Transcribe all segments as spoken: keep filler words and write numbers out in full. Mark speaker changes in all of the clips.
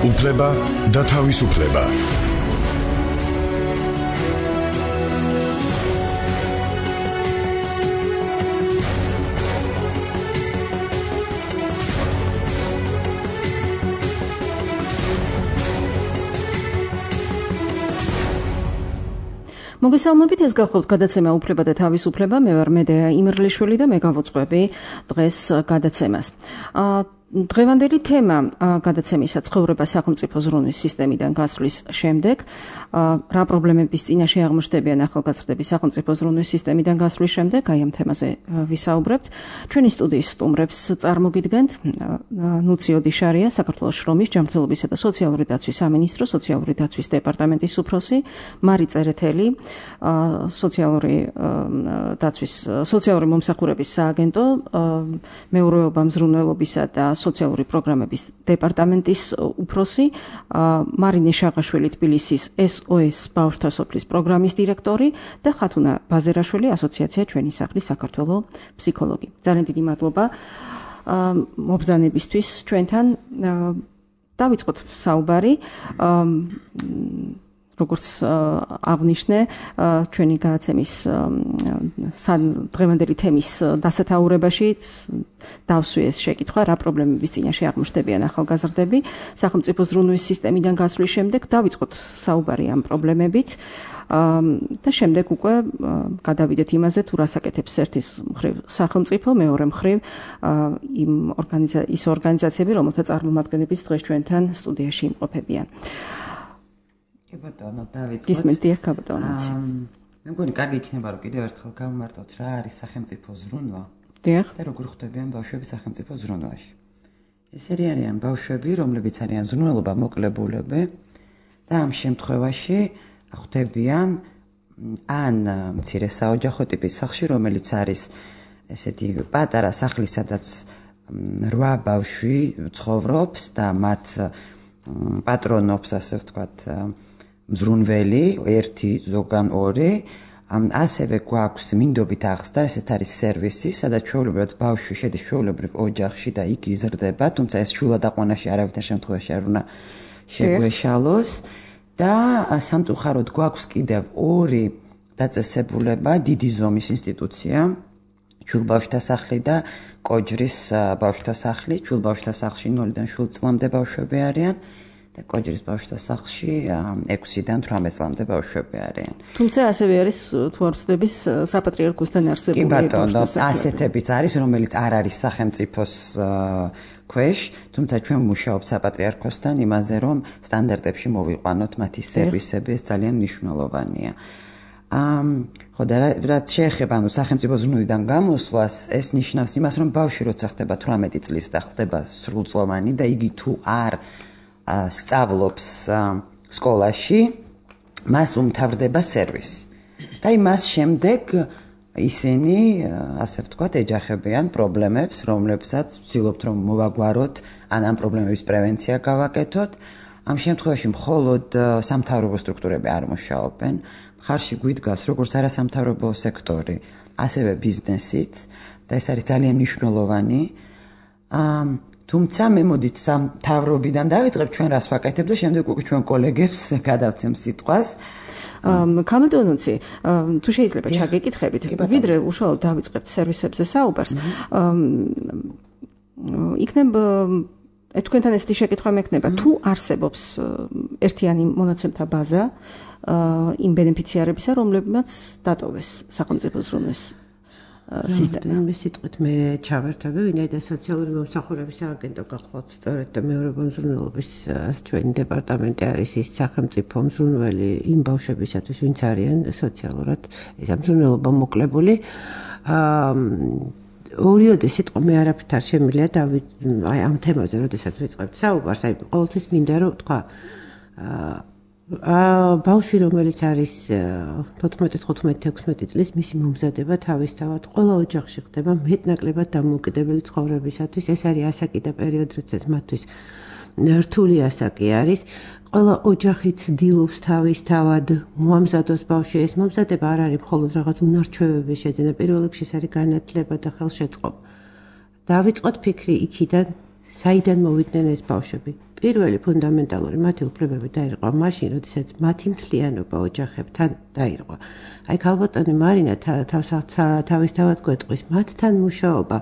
Speaker 1: უფლება და თავისუფლება.
Speaker 2: მოგესალმებით, ეს გახლავთ გადაცემა უფლება და თავისუფლება. მე ვარ მედეა იმერლიშვილი და მე გავუძღვები დღეს გადაცემას. დღევანდელი თემა გადაცემისა ცხოვრება სახელმწიფო ზრუნვის სისტემიდან გასვლის შემდეგ, რა პრობლემების წინაშე აღმოჩნდებიან ახალგაზრდები სახელმწიფო ზრუნვის სისტემიდან გასვლის შემდეგ, აი ამ თემაზე ვისაუბრებთ. ჩვენი სტუდიის სტუმრებს წარმოგიდგენთ ნუცი ოდიშარია, საქართველოს შრომის, ჯანმრთელობისა და სოციალური დაცვის სამინისტროს სოციალური დაცვის დეპარტამენტის უფროსი, მარი წერეთელი, სოციალური დაცვის სოციალური მომსახურების სააგენტო, მეურვეობა, მზრუნველობისა და სოციალური პროგრამების დეპარტამენტის უფროსი, მარინე შაღაშვილი თბილისის ეს ო ეს ბავშვთა სოფლის პროგრამის დირექტორი და ხათუნა ბაზერაშვილი ასოციაცია ჩვენი სახლის საქართველოს ფსიქოლოგი. ძალიან დიდი მადლობა მობრძანებისთვის ჩვენთან. დავიწყოთ საუბარი. როგორც აღნიშნე, ჩვენი გადაცემის დღევანდელი თემის დასათაურებაში დავსვი ეს შეკითხვა, რა პრობლემების წინაშე აღმოჩნდებიან ახალგაზრდები სახელმწიფო ზრუნვის სისტემიდან გასვლის შემდეგ. დავიწყოთ საუბარი ამ პრობლემებით და შემდეგ უკვე გადავიდეთ იმაზე, თუ რას აკეთებს ერთის მხრივ სახელმწიფო, მეორე მხრივ იმ ის ორგანიზაციები, რომელთა წარმომადგენლებიც დღეს ჩვენთან სტუდიაში იმყოფებიან.
Speaker 3: კი ბატონო, დავიწყოთ.
Speaker 2: გისმენთ, დიახ, ბატონო.
Speaker 3: მე მგონი კარგი იქნება, რომ კიდევ ერთხელ გავმარტოთ რა არის სახელმწიფო ზრუნვა.
Speaker 2: დიახ.
Speaker 3: და როგორ ხვდებიან ბავშვები სახელმწიფო ზრუნვაში. ესენი არიან ბავშვები, რომლებიც არიან ზრუნველობა მოკლებულები და ამ შემთხვევაში ხვდებიან ან მცირე საოჯახო ტიპის სახლში, რომელიც არის ესეთი პატარა სახლი, სადაც რვა ბავშვი ცხოვრობს და მათ პატრონობს, ასე ვთქვათ, მზრუნველი, ერთი, ზოგან ორი. ასევე გვაქვს მინდობით აღზრდა, ესეც არის სერვისი, სადაც ჩვეულებრივად ბავშვი შედის ჩვეულებრივ ოჯახში და იქ იზრდება, თუმცა ეს შულადაყვანაში არავითარ შემთხვევაში არ უნდა შეგვეშალოს. და სამწუხაროდ გვაქვს კიდევ ორი დაწესებულება, დიდი ზომის ინსტიტუცია, ჩულბავშვთა სახლი და კოჯრის ბავშვთა სახლი. ჩულბავშვთა სახლში ნულიდან შვიდ წლამდე ბავშვები არიან და კოჯრის ბავშვთა სახლში ექვსიდან თვრამეტ წლამდე ბავშვები არიან.
Speaker 2: თუმცა ასევე არის, თუ არ ვცდების, საპატრიარქოსთან არსებული
Speaker 3: ბავშვთა სახლი. ასეთებიც არის, რომელიც არ არის სახელმწიფოს ქვეშ, თუმცა ჩვენ მუშაობთ საპატრიარქოსთან იმაზე, რომ სტანდარტებში მოვიყვანოთ მათი სერვისები, ეს ძალიან მნიშვნელოვანია. ხო და რაც შეეხება ანუ სახელმწიფო ზრუნვიდან გამოსვლას, ეს ნიშნავს იმას, რომ ბავშვი როცა ხდება თვრამეტი წლის და ხდება სრულწლოვანი და იგი თუ არ სწავლობს სკოლაში, მას უმთავრდება სერვისი. და იმას შემდეგ ისინი, ასე ვთქვათ, ეჯახებიან პრობლემებს, რომლებსაც ვცდილობთ რომ მოვაგვაროთ, ან ამ პრობლემების პრევენცია გავაკეთოთ. ამ შემთხვევაში მხოლოდ სამთავრობო სტრუქტურები არ მუშაობენ. მხარში გვიდგას როგორც არასამთავრობო სექტორი, ასევე ბიზნესიც და ეს არის ძალიან მნიშვნელოვანი. თუმცა მე მოდით სამთავრობიდან დავიწყებ ჩვენ რას ვაკეთებ და შემდეგ უკვე ჩვენ კოლეგებს გადავცემ სიტყვას.
Speaker 2: კამილტონუცი, თუ შეიძლება ჩაგეკითხებით, ვიდრე უშუალოდ დავიწყებთ სერვისებზე საუბარს. იქნება თქვენთან ესეთი შეკითხვა მექნება, თუ არსებობს ერთიანი მონაცემთა ბაზა იმ ბენეფიციარებისა, რომლებმაც დატოვეს სახელმწიფო ზრუნვის სისტემა.
Speaker 4: მე სიტყვით მე ჩავერთვები, ვინაიდან სოციალური მომსახურების სააგენტო გახლავთ სწორედ და მეურვეობა მზრუნველობის ჩვენი დეპარტამენტი არის ის სახელმწიფო მზრუნველი იმ ბავშვებისათვის, ვინც არიან სოციალურად ეს მზრუნველობა მოკლებული. ორიოდე სიტყვა მე არაფრით არ შემიძლია და აი ამ თემაზე როდესაც ვიწყებთ საუბარს, აი ყოველთვის მინდა რომ თქვა ბავშვი რომელიც არის თოთხმეტი, თხუთმეტი, ექვსმეტი წლის, მისი მომზადება თავისთავად ყველა ოჯახში ხდება მეტნაკლებად დამოუკიდებელი ცხოვრებისათვის. ეს არის ასაკი და პერიოდი, როდესაც მათთვის რთული ასაკი არის. ყველა ოჯახი ცდილობს თავისთავად მოამზადოს ბავშვი. ეს მომზადება არ არის მხოლოდ რაღაც უნარჩვევების შეძენა, პირველ რიგში ეს არის განათლება და ხელშეწყობა. დავიწყოთ ფიქრი იქიდან, საიდან მოვიდნენ ეს ბავშვები. პირველი ფუნდამენტალური მათი უფლებები დაირღვა მაშინ, როდესაც მათი მთლიანობა ოჯახებთან დაირღვა. აი ქალბატონი მარინა თავისთავად გვეტყვის, მათთან მუშაობა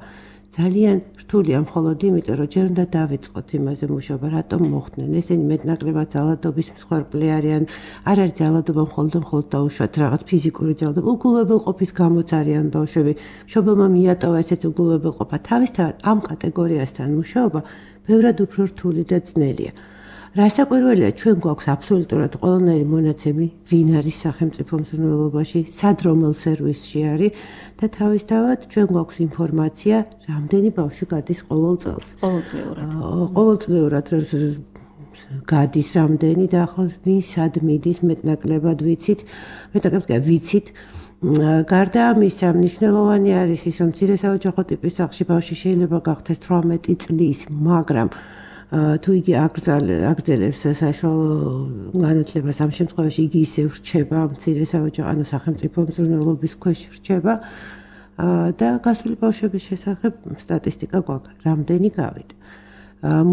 Speaker 4: ძალიან რთულია მხოლოდ იმიტომ, რომ ჯერ უნდა დავიწყოთ იმაზე მუშაობა, რატომ მოხდნენ. ესენი მეტნაკლებად ძალადობის მსხვერპლი არიან, არ არის ძალადობა მხოლოდ მხოლოდ დაუშვათ რაღაც ფიზიკური ძალადობა, უგულებელყოფის გამოც არიან ბავშვები. მშობელმა მიატოვა ესეც უგულებელყოფა. თავისთავად ამ კატეგორიასთან მუშაობა ბევრად უფრო რთული და ძნელია. რასაკვირველია, ჩვენ გვაქვს აბსოლუტურად ყველანაირი მონაცემი, ვინ არის სახელმწიფო მზრუნველობაში, სად რომელ სერვისში არის და თავისთავად ჩვენ გვაქვს ინფორმაცია, რამდენი ბავშვი გადის ყოველ წელს.
Speaker 2: ყოველწლიურად.
Speaker 4: ყოველწლიურად გადის რამდენი და ახლა ვინ სად მიდის მეტნაკლებად ვიცით, მეტნაკლებად ვიცით. გარდა ამისა, მნიშვნელოვანი არის ის, რომ მცირე საოჯახო ტიპის სახლში ბავშვი შეიძლება გახდეს თვრამეტი წლის, მაგრამ თუ იგი აგრძელებს საშუალო განათლებას, ამ შემთხვევაში იგი ისევ რჩება მცირე საოჯახო, ანუ სახელმწიფო მზრუნველობის ქვეშ რჩება და გასული ბავშვების შესახებ სტატისტიკა გვაქვს, რამდენი გავიდა.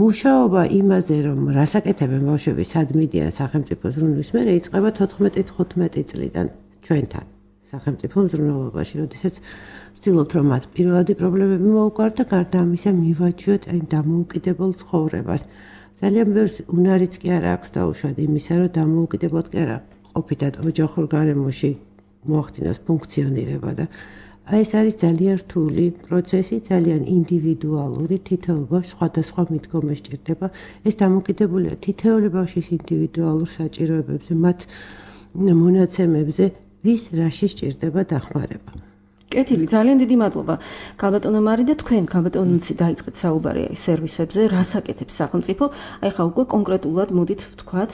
Speaker 4: მუშაობა იმაზე, რომ რასაკეთებენ ბავშვები, სად მიდიან სახელმწიფო ზრუნვის მერე, იწყება თოთხმეტი თხუთმეტი წლიდან ჩვენთან სახელმწიფო მზრუნველობაში, როდესაც ვცდილობთ, რომ მათ პირველადი პრობლემები მოუგვართ და გარდა ამისა მივაჩვიოთ აი დამოუკიდებელ ცხოვრებას. ძალიან ბევრს უნარიც კი არ აქვს დაუშვათ იმისა, რომ დამოუკიდებლად კი არა ყოფითად ოჯახურ გარემოში მოახდინოს ფუნქციონირება და აი ეს არის ძალიან რთული პროცესი, ძალიან ინდივიდუალური, თითოეულ ბავშვს სხვადასხვა მიდგომა სჭირდება. ეს დამოკიდებულია თითოეული ბავშვის ინდივიდუალურ საჭიროებებზე, მათ მონაცემებზე, ვის რაში სჭირდება დახმარება.
Speaker 2: კეთილი, ძალიან დიდი მადლობა. ქალბატონო მარი და თქვენ ქალბატონიცი დაიწყეთ საუბარი აი სერვისებზე, რას აკეთებს სახელმწიფო? აი ხა უკვე კონკრეტულად მოდით ვთქვათ,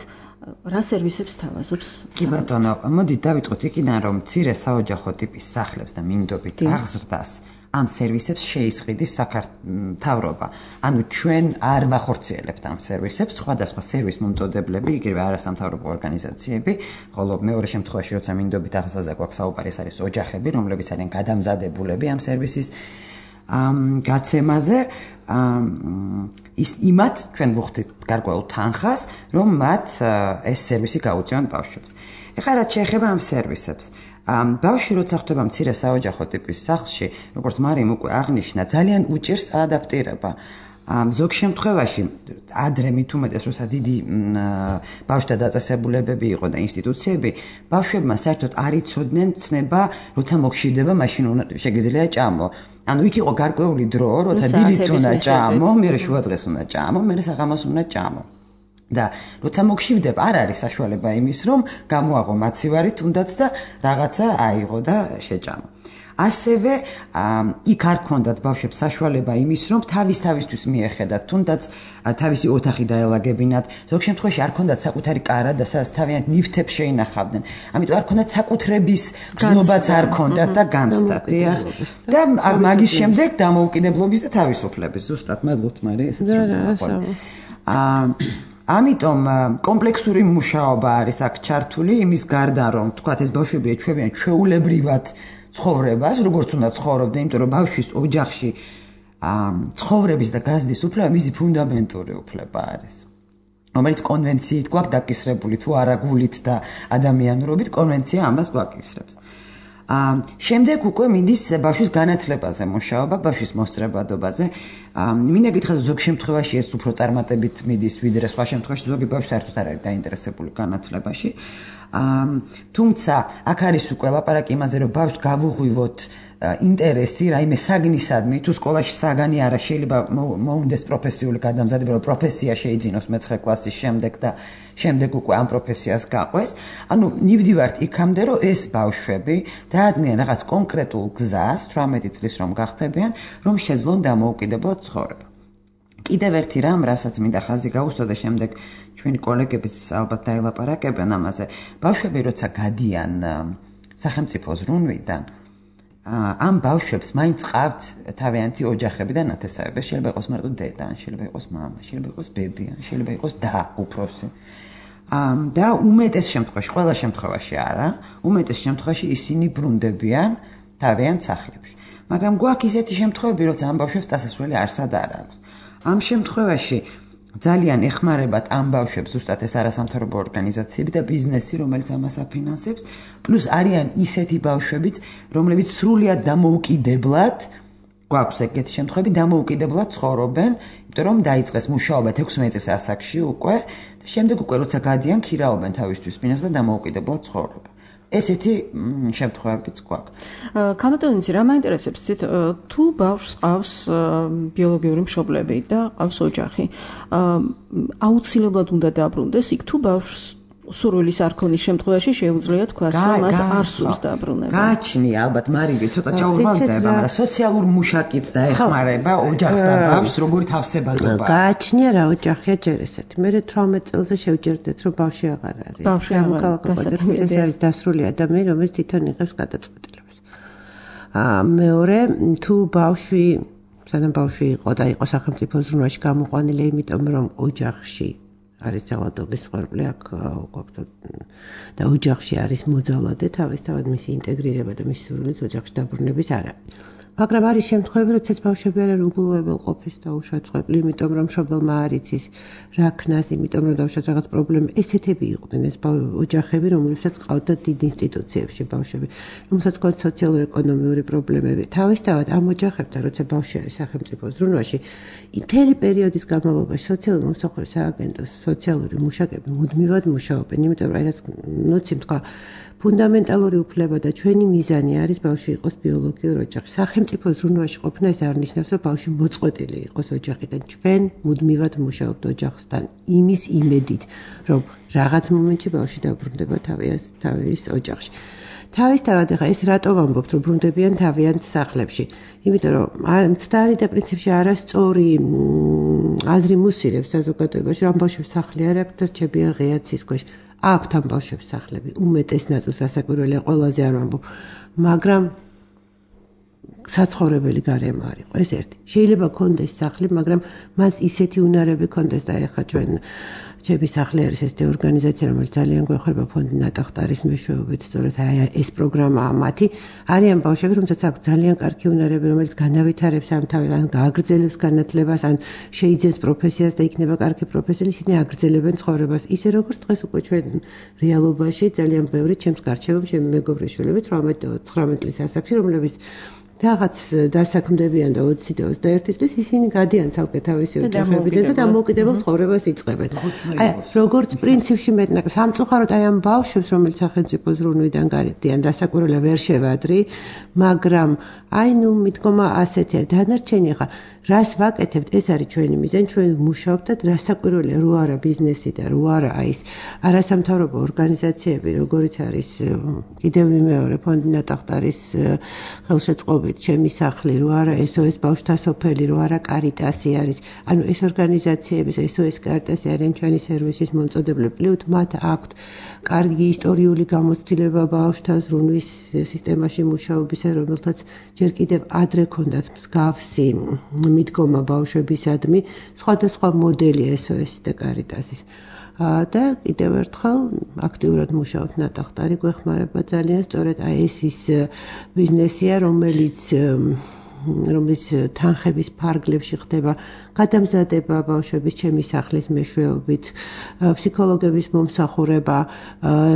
Speaker 2: რა სერვისებს თავაზობს?
Speaker 3: კი ბატონო, მოდით დავიწყოთ იქიდან, რომ მცირე საოჯახო ტიპის სახლებს და მინდობით აღზრდას ამ სერვისებს შეისყიდის საქართველოს. ანუ ჩვენ არ ვახორციელებთ ამ სერვისებს, სხვადასხვა სერვის მომწოდებლები, იგივე არასამთავრობო ორგანიზაციები, ხოლო მეორე შემთხვევაში, როცა მინდობით აღზრდაზე გვაქვს საუბარი, ეს არის ოჯახები, რომლებიც არიან გადამზადებულები ამ სერვისის გაცემაზე. ის იმათ ჩვენ ვუხდით გარკვეულ თანხას, რომ მათ ეს სერვისი გაუწიონ ბავშვებს. ეხლა რაც შეეხება ამ სერვისებს, ბავშვი როცა ხვდება მცირე საოჯახო ტიპის სახლში, როგორც მარიმ უკვე აღნიშნა, ძალიან უჭირს ადაპტირება. ზოგ შემთხვევაში ადრე მით უმეტეს, როცა დიდი ბავშვთა დაწესებულებები იყო და ინსტიტუციები, ბავშვებმა საერთოდ არ იცოდნენ ცნება, როცა მოგშივდება, მაშინ შეგიძლია ჭამო. ანუ იქ იყო გარკვეული დრო, როცა დილით უნდა ჭამო, მერე შუადღეს უნდა ჭამო, მერე საღამოს უნდა ჭამო. და როცა მოგშივდება, არ არის საშუალება იმის, რომ გამოაღო მაცივარი თუნდაც და რაღაცა აიღო და შეჭამო. ასევე იქ არ ქონდათ ბავშვებს საშუალება იმის, რომ თავის თავისთვის მიეხედათ, თუნდაც თავისი ოთახი დაელაგებინათ. ზოგ შემთხვევაში არ ქონდათ საკუთარი კარა და სადაც თავიანთ ნივთებს შეინახავდნენ. ამიტომ არ ქონდათ საკუთრების გზნობაც არ ქონდათ და განცდათ. და მაგის შემდეგ დამოუკიდებლობის და თავისუფლების. ზუსტად, მადლობთ მარი, ესეც რომ დავაყოლე. ამიტომ კომპლექსური მუშაობა არის აქ ჩართული, იმის გარდა რომ თქვათ ეს ბავშვები ეჩვევიან ჩვეულებრივად ცხოვრებას, როგორც უნდა ცხოვრობდნენ, იმიტომ რომ ბავშვის ოჯახში ცხოვრების და გაზრდის უფლება მისი ფუნდამენტური უფლება არის. რომელიც კონვენციით გვაქვს დაკისრებული, თუ არა გულით და ადამიანურობით, კონვენცია ამას გვაკისრებს. შემდეგ უკვე მიდის ბავშვის განათლებაზე მუშაობა, ბავშვის მოსწრებადობაზე. მინდა გითხრათ, ზოგ შემთხვევაში ეს უფრო წარმატებით მიდის, ვიდრე სხვა შემთხვევაში ზოგი ბავშვი საერთოდ არ არის დაინტერესებული განათლებაში. თუმცა აქ არის უკვე ლაპარაკი იმაზე, რომ ბავშვს გავუღვივოთ ინტერესი, რაიმე საგნისადმი, თუ სკოლაში საგანი არა, შეიძლება მოუნდეს პროფესიული გადამზადება, რომ პროფესია შეიძინოს მეცხრე კლასის შემდეგ და შემდეგ უკვე ამ პროფესიას გაყვეს. ანუ ნივდივართ იქამდე, რომ ეს ბავშვები დაადგნენ რაღაც კონკრეტულ გზას, თვრამეტი წლის რომ გახდებიან, რომ შეძლონ დამოუკიდებლად ცხოვრება. კიდევ ერთი რამ, რასაც მინდა ხაზი გაუსვა და შემდეგ ჩვენი კოლეგებიც ალბათ დაელაპარაკებენ ამაზე. ბავშვები როცა გადიან სახელმწიფო ზრუნვიდან, ამ ბავშვებს მაინც ყავთ თავიანთი ოჯახები და ნათესავები. შეიძლება იყოს მარტო დედა, შეიძლება იყოს მამა, შეიძლება იყოს ბები, შეიძლება იყოს და უფროსი. და უმეტეს შემთხვევაში, ყველა შემთხვევაში არა, უმეტეს შემთხვევაში ისინი ბრუნდებიან თავიანთ სახლებში. მაგრამ გვაქვს ისეთი შემთხვევები, როცა ამ ბავშვებს წასასვლელი არსად არ აქვს. ამ შემთხვევაში ძალიან ეხმარებათ ამ ბავშვებს ზუსტად ეს არასამთავრობო ორგანიზაციები და ბიზნესი, რომელიც ამას აფინანსებს, პლუს არიან ისეთი ბავშვებიც, რომლებიც სრულიად დამოუკიდებლად გვაქვს ეგეთი შემთხვევები, დამოუკიდებლად ცხოვრობენ, იმიტომ რომ დაიწყეს მუშაობა ექვსმეტ წელს ასაკში უკვე და შემდეგ უკვე როცა გადიან ქირაობენ თავისთვის ბინას და დამოუკიდებლად ცხოვრობენ. ესეთი შემთხვევებიც გვაქვს.
Speaker 2: კამატონიცი რა მაინტერესებს ცით თუ ბავშვს ყავს ბიოლოგიური მშობლები და ყავს ოჯახი. აუცილებლად უნდა დაბრუნდეს იქ თუ ბავშვს სურვილის არ ქონის შემთხვევაში შეუძლია თქვას რომ მას არ სურს დაბრუნება.
Speaker 3: გააჩნია ალბათ მარიგი ცოტა ჭაურმალდება, მაგრამ სოციალურ მუშაკიც დაეხმარება ოჯახს და ბავშვს როგორი თავსებადობა.
Speaker 4: გააჩნია რა ოჯახია ჯერ ესეთი. მე თვრამეტ წელზე შევჯერდეთ რომ ბავშვი აღარ არის.
Speaker 2: ბავშვი აღარ არის.
Speaker 4: ეს არის დასრული ადამიანი, რომელიც თვითონ იღებს გადაწყვეტილებას. აა მეორე თუ ბავშვი, სანამ ბავშვი იყო და იყო სახელმწიფო ზრუნვაში გამოყვანილი, იმიტომ რომ ოჯახში არის ძალადობის სხერბლი აქ გვაქვს და ოჯახში არის მოძალადე თავისთავად მისი ინტეგრირება და მისი სურვილის ოჯახში დაბრუნების არა. მაგრამ არის შემთხვევები, როდესაც ბავშვები არიან უგულვებელყოფის და უშეწყვეტლი, იმიტომ რომ მშობელმა არ იცის რა ქნას, იმიტომ რომ დავშოთ რაღაც პრობლემა. ესეთები იყვნენ ეს ოჯახები, რომლებსაც ყავდათ დიდ ინსტიტუციებში ბავშვები, რომელსაც ყავდათ სოციალურ-ეკონომიური პრობლემები. თავისთავად ამ ოჯახებთან, როცა ბავშვი არის სახელმწიფო ზრუნვაში, მთელი პერიოდის განმავლობაში სოციალური მომსახურების სააგენტოს სოციალური მუშაკები მუდმივად მუშაობენ, იმიტომ რომ რაც ნუცი თქვა ფუნდამენტალური უფლება და ჩვენი მიზანი არის ბავშვი იყოს ბიოლოგიურ ოჯახში. სახელმწიფო ზრუნვაში ყოფნა ეს არ ნიშნავს, რომ ბავშვი მოწყვეტილი იყოს ოჯახიდან. ჩვენ მუდმივად მუშაობთ ოჯახთან იმის იმედით, რომ რაღაც მომენტში ბავშვი დაბრუნდება თავის თავის ოჯახში. თავისთავად ახლა ეს რატო ვამბობთ, რომ ბრუნდებიან თავიანთ სახლებში? იმიტომ რომ მცდარი და პრინციპში არასწორი აზრი მუსირებს საზოგადოებაში, რომ ბავშვებს სახლი არ აქვს და რჩებიან ღია ცის ქვეშ. აქვთ ამ ბავშვებს სახლები, უმეტეს ნაწილს რასაკვირველია, ყველაზე არ ვამბობ, მაგრამ საცხოვრებელი გარემო არ იყო, ეს ერთი. შეიძლება კონდეს სახლი, მაგრამ მას ისეთი უნარები კონდეს და ეხლა ჩვენ ჩემი სახლი არის ესეთი ორგანიზაცია, რომელიც ძალიან გვეხმარება ფონდი ნატახტარის მეშვეობით, სწორედ აი ეს პროგრამაა მათი. არიან ბავშვები, რომელსაც აქვს ძალიან კარგი უნარები, რომელიც განავითარებს ამ თავი, ან გააგრძელებს განათლებას, ან შეიძენს პროფესიას და იქნება კარგი პროფესიონალი, ისინი აგრძელებენ ცხოვრებას. ისე როგორც დღეს უკვე ჩვენ რეალობაში ძალიან ბევრი ჩემს გარშემო ჩემი მეგობრის შვილები თვრამეტ წლის ასაკში, რომლებიც რაღაც დასაქმდებიან და ოცი და ოცდაერთი წლის ისინი გადიან ცალკე თავისი ოჯახებიდან და დამოუკიდებელ ცხოვრებას იწყებენ. აი, როგორც პრინციპში მეტნაკ სამწუხაროდ აი ამ ბავშვებს, რომელიც სახელმწიფო ზრუნვიდან გარიდიან, რასაკვირველია ვერ შევადრი, მაგრამ აი ნუ მიდგომა ასეთი არის. დანარჩენი ახლა რას ვაკეთებთ, ეს არის ჩვენი მიზანი, ჩვენ ვმუშაობთ და რასაკვირველია, რო არა ბიზნესი და რო არა აი ეს არასამთავრობო ორგანიზაციები, როგორიც არის კიდევ მეორე ფონდი ნატახტარის ხელშეწყობით, ჩემი სახლი, რო არა ეს ო ეს ბავშვთა სოფელი, რო არა კარიტასი არის, ანუ ეს ორგანიზაციების ეს ო ეს კარიტასი არიან ჩვენი სერვისის მომწოდებლები, პლუს მათ აქვთ კარგი ისტორიული გამოცდილება ბავშვთა ზრუნვის სისტემაში მუშაობისა, რომელთაც ჯერ კიდევ ადრე ქონდათ მსგავსი მიდგომა ბავშვებისადმი, სხვადასხვა მოდელი ეს ო ეს და კარიტასის. და კიდევ ერთხელ აქტიურად მუშაობთ ნატახტარი, გვეხმარება ძალიან, სწორედ აი ეს ის ბიზნესია, რომელიც რომლის თანხების ფარგლებში ხდება გადამზადება ბავშვების ჩემი სახლის მეშვეობით, ფსიქოლოგების მომსახურება,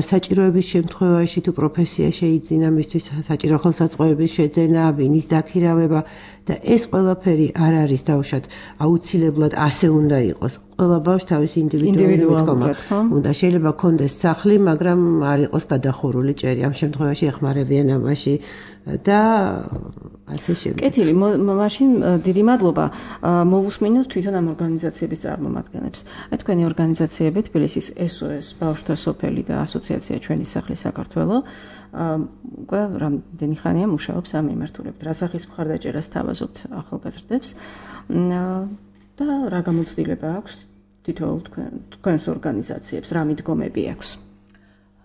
Speaker 4: საჭიროების შემთხვევაში თუ პროფესია შეიძინა მისთვის საჭირო ხელსაწყოების შეძენა, ვინის დაქირავება და ეს ყველაფერი არ არის დავუშვათ აუცილებლად ასე უნდა იყოს. ყველა ბავშვს თავისი ინდივიდუალური მიდგომა უნდა, შეიძლება ქონდეს სახლი, მაგრამ არ იყოს გადახურული ჭერი. ამ შემთხვევაში ეხმარებიან ამაში და ასე შემდეგ.
Speaker 2: კეთილი, მაშინ დიდი მადლობა. მოვუსმინოთ თვითონ ამ ორგანიზაციების წარმომადგენლებს. აი თქვენი ორგანიზაციები თბილისის ეს ო ეს ბავშვთა სოფელი და ასოციაცია ჩვენი სახლი საქართველო უკვე რამდენი ხანია მუშაობს ამ მიმართულებით. რა სახის მხარდაჭერას თავაზობთ ახალგაზრდებს და რა გამოცდილება აქვს თითოეულ თქვენს ორგანიზაციებს, რა მიდგომები აქვს?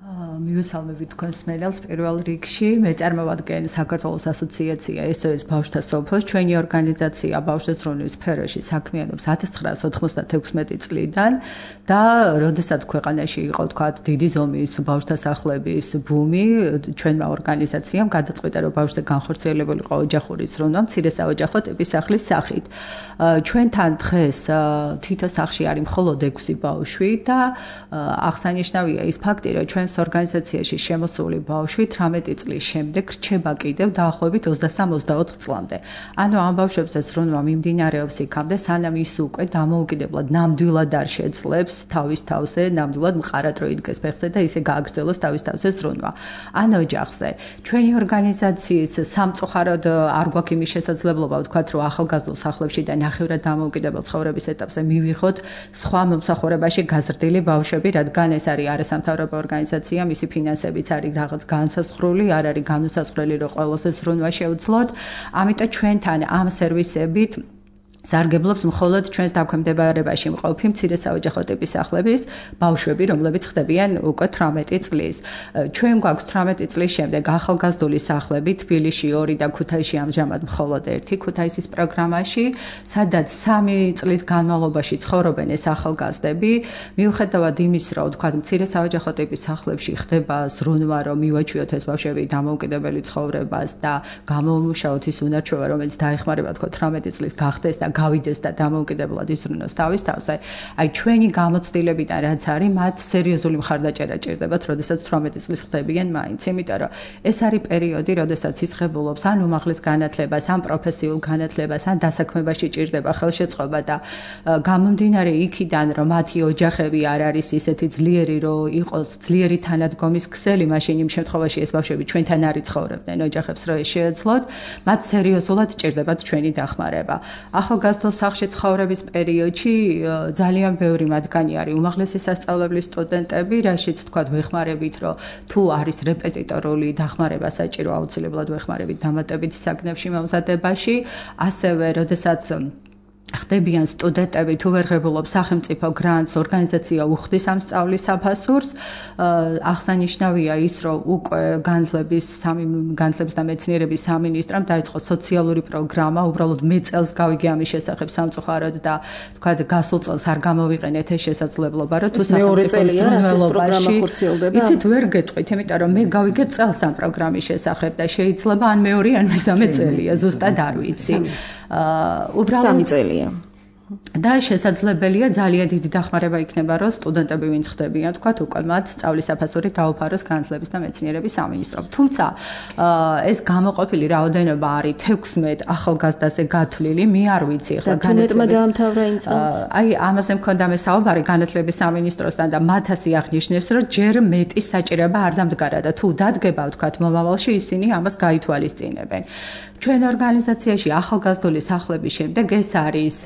Speaker 5: მივესალმებით თქვენს მენელს პირველ რიგში. მე წარმოვადგენ საქართველოს ასოციაცია ეს ო ეს ბავშვთა სოფლოს. ჩვენი ორგანიზაცია ბავშვთა ზრუნვის სფეროში საქმიანობს ათას ცხრაას ოცდაათმეტი წლიდან და როდესაც ქვეყანაში იყო თქვათ დიდი ზომის ბავშვთა სახლების ბუმი, ჩვენმა ორგანიზაციამ გადაწყვიტა რომ ბავშვზე განხორციელებულიყო ოჯახური ზრუნვა მცირე საოჯახო ტიპის სახლის სახით. ჩვენთან დღეს თითო სახლში არის მხოლოდ ექვსი ბავშვი და აღსანიშნავია ის ფაქტი რომ ჩვენ ორგანიზაციაში შემოსული ბავშვი თერთმეტი წლის შემდეგ რჩება კიდევ დაახლოებით ოცდასამ ოცდაოთხ წლამდე. ანუ ამ ბავშვებზე ზრუნვა მიმდინარეობს იქამდე, სანამ ის უკვე დამოუკიდებლად ნამდვილად არ შეძლებს თავის თავზე, ნამდვილად მყარად რო იდგეს ფეხზე და ისე გააგრძელოს თავის თავზე ზრუნვა. ან ოჯახზე. ჩვენი ორგანიზაციის სამწუხაროდ არ გვაქვს იმის შესაძლებლობა ვთქვათ, რომ ახალგაზრდულ სახლებში და ნახევრად დამოუკიდებელ ცხოვრების ეტაპზე მივიღოთ სხვა მომსახურებაში გაზრდილი ბავშვები, რადგან ეს არის არასამთავრობო ორგანიზაცია, მისი ფინანსებიც არის რაღაც განსაზღვრული, არ არის განუსაზღვრელი, რომ ყველაზე ზრუნვა შეუძლოთ. ამიტომ ჩვენთან ამ სერვისებით სარგებლობს მხოლოდ ჩვენს დაქვემდებარებაში მყოფი მცირე საოჯახო ტიპის სახლების ბავშვები, რომლებიც ხდებიან უკვე თერთმეტი წლის. ჩვენ გვაქვს თერთმეტი წლის შემდეგ ახალგაზრდული სახლები თბილისში ორი და ქუთაისში ამჟამად მხოლოდ ერთი ქუთაისის პროგრამაში, სადაც სამი წლის განმავლობაში ცხოვრობენ ეს ახალგაზრდები. მიუხედავად იმის, რომ თქვათ მცირე საოჯახო ტიპის სახლებში ხდება ზრუნვა, რომ მივაჩვიოთ ეს ბავშვები დამოუკიდებელი ცხოვრებას და გამომუშავოთ ის უნარჩვევა, რომელიც დაეხმარება თქვათ თერთმეტი წლის გახდეს და გავიდეს და დამოუკიდებლად ისრუნოს თავის თავზე. აი ჩვენი გამოცდილებიდან რაც არის, მათ სერიოზული მხარდაჭერა ჭირდებათ, როდესაც თერთმეტი წლის ხდებიან მაინც, იმიტომ რომ ეს არის პერიოდი, როდესაც ისხებულობს ან უმაღლეს განათლებას, ან პროფესიულ განათლებას, ან დასაქმებაში ჭირდება ხელშეწყობა და გამომდინარე იქიდან, რომ მათი ოჯახები არ არის ისეთი ძლიერი, რომ იყოს ძლიერი თანადგომის ქსელი, მაშინ იმ შემთხვევაში ეს ბავშვები ჩვენთან არ იცხოვრებდნენ ოჯახებს, რომ ეს შეეძლოთ, მათ სერიოზულად ჭირდებათ ჩვენი დახმარება. ახალგაზრდულ სახლში ცხოვრების პერიოდში ძალიან ბევრი მათგანი არის უმაღლესი სასწავლებლის სტუდენტები, რაშიც თქვათ ვეხმარებით, რომ თუ არის რეპეტიტორული დახმარება საჭირო, აუცილებლად ვეხმარებით დამატებითი საგნებში მომზადებაში, ასევე როდესაც ხდებიან სტუდენტები, თუ ვერ ღებულობს სახელმწიფო გრანტს, ორგანიზაცია უხდის ამ სწავლის საფასურს. აღსანიშნავია ის, რომ უკვე განათლების სამი განათლების და მეცნიერების სამინისტრომ დაიწყო სოციალური პროგრამა, უბრალოდ მე წელს გავიგე ამის შესახებ სამწუხაროდ და თქვა გასულ წელს არ გამოვიყენეთ ეს შესაძლებლობა, რომ თუ
Speaker 2: სახელმწიფო პროგრამა ხორციელდება.
Speaker 5: იცით, ვერ გეტყვით, იმიტომ რომ მე გავიგე წელს ამ პროგრამის შესახებ და შეიძლება ან მეორე ან მესამე წელია, ზუსტად არ ვიცი.
Speaker 2: უბრალოდ სამი წელია.
Speaker 5: და შესაძლებელია ძალიან დიდი დახმარება იქნება, რომ სტუდენტები ვინც ხდებიან, თქვათ, უკვე მათ სწავლის საფასური დაუფაროს განათლების და მეცნიერების სამინისტრომ. თუმცა ეს გამოყოფილი რაოდენობა არის თექვსმეტ ახალგაზრდაზე გათვლილი, მე არ ვიცი
Speaker 2: ახლა განათლება დაამთავრა იმ წელს.
Speaker 5: აი, ამაზე მქონდა მე საუბარი განათლების სამინისტროსთან და მათ ასე აღნიშნეს, რომ ჯერ მეტი საჭიროება არ დამდგარა და თუ დადგება, თქვათ, მომავალში ისინი ამას გაითვალისწინებენ. ჩვენ ორგანიზაციაში ახალგაზრდული სახლების შემდეგ ეს არის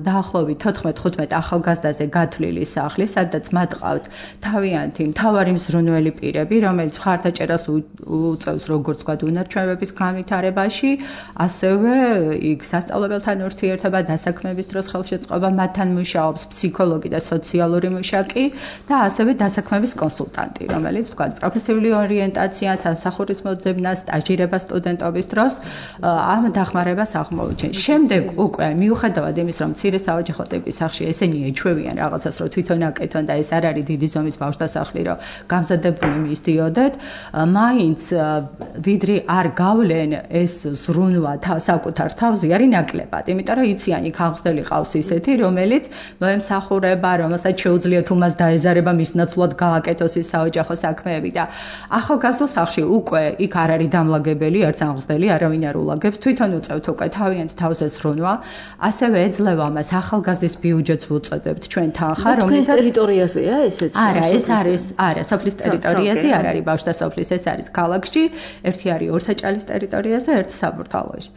Speaker 5: დაახლოებით თოთხმეტ ხუთმეტ ახალგაზრდაზე გათვლილი სახლი, სადაც მათ ყავთ თავიანთი მთავარი მზრუნველი პირები, რომელიც მხარდაჭერას უწევს როგორც ვთქვათ უნარჩვევების განვითარებაში, ასევე იქ სასწავლებელთან ურთიერთობა, დასაქმების დროს ხელშეწყობა, მათთან მუშაობს ფსიქოლოგი და სოციალური მუშაკი და ასევე დასაქმების კონსულტანტი, რომელიც ვთქვათ პროფესიული ორიენტაციას, სამსახურის მოძებნას, სტაჟირებას სტუდენტობის დროს ამ დახმარებას აღმოუჩენს. შემდეგ უკვე მიუხედავად იმის, რომ მცირე საოჯახო ტიპის სახლში ესენი ეჩვევიან რაღაცას, რომ თვითონ აკეთონ და ეს არ არის დიდი ზომის ბავშვთა სახლი, რომ გამზადებული მისდიოდეთ, მაინც ვიდრე არ გავლენ ეს ზრუნვა საკუთარ თავზე არის ნაკლებად, იმიტომ რომ იციან იქ აღმზრდელი ყავს ისეთი, რომელიც მოემსახურება, რომელსაც შეუძლია თუ მას დაეზარება მის ნაცვლად გააკეთოს ის საოჯახო საქმეები და ახალგაზრდულ სახლში უკვე იქ არ არის დამლაგებელი, არც აღმზრდელი, არავინ არ ულაგებს, თვითონ უწევთ უკვე თავიანთ თავზე ზრუნვა, ასევე ეძლევა ამას ახალგაზრდის ბიუჯეტს ვუწოდებთ ჩვენ თანხა,
Speaker 2: რომელსაც ტერიტორიაზეა ესეც?
Speaker 5: არა, ეს არის, არა, სოფლის ტერიტორიაზე არ არის ბავშვთა სოფლის, ეს არის ქალაქში, ერთი არის ორსაჭალის ტერიტორიაზე, ერთი საბურთალოში.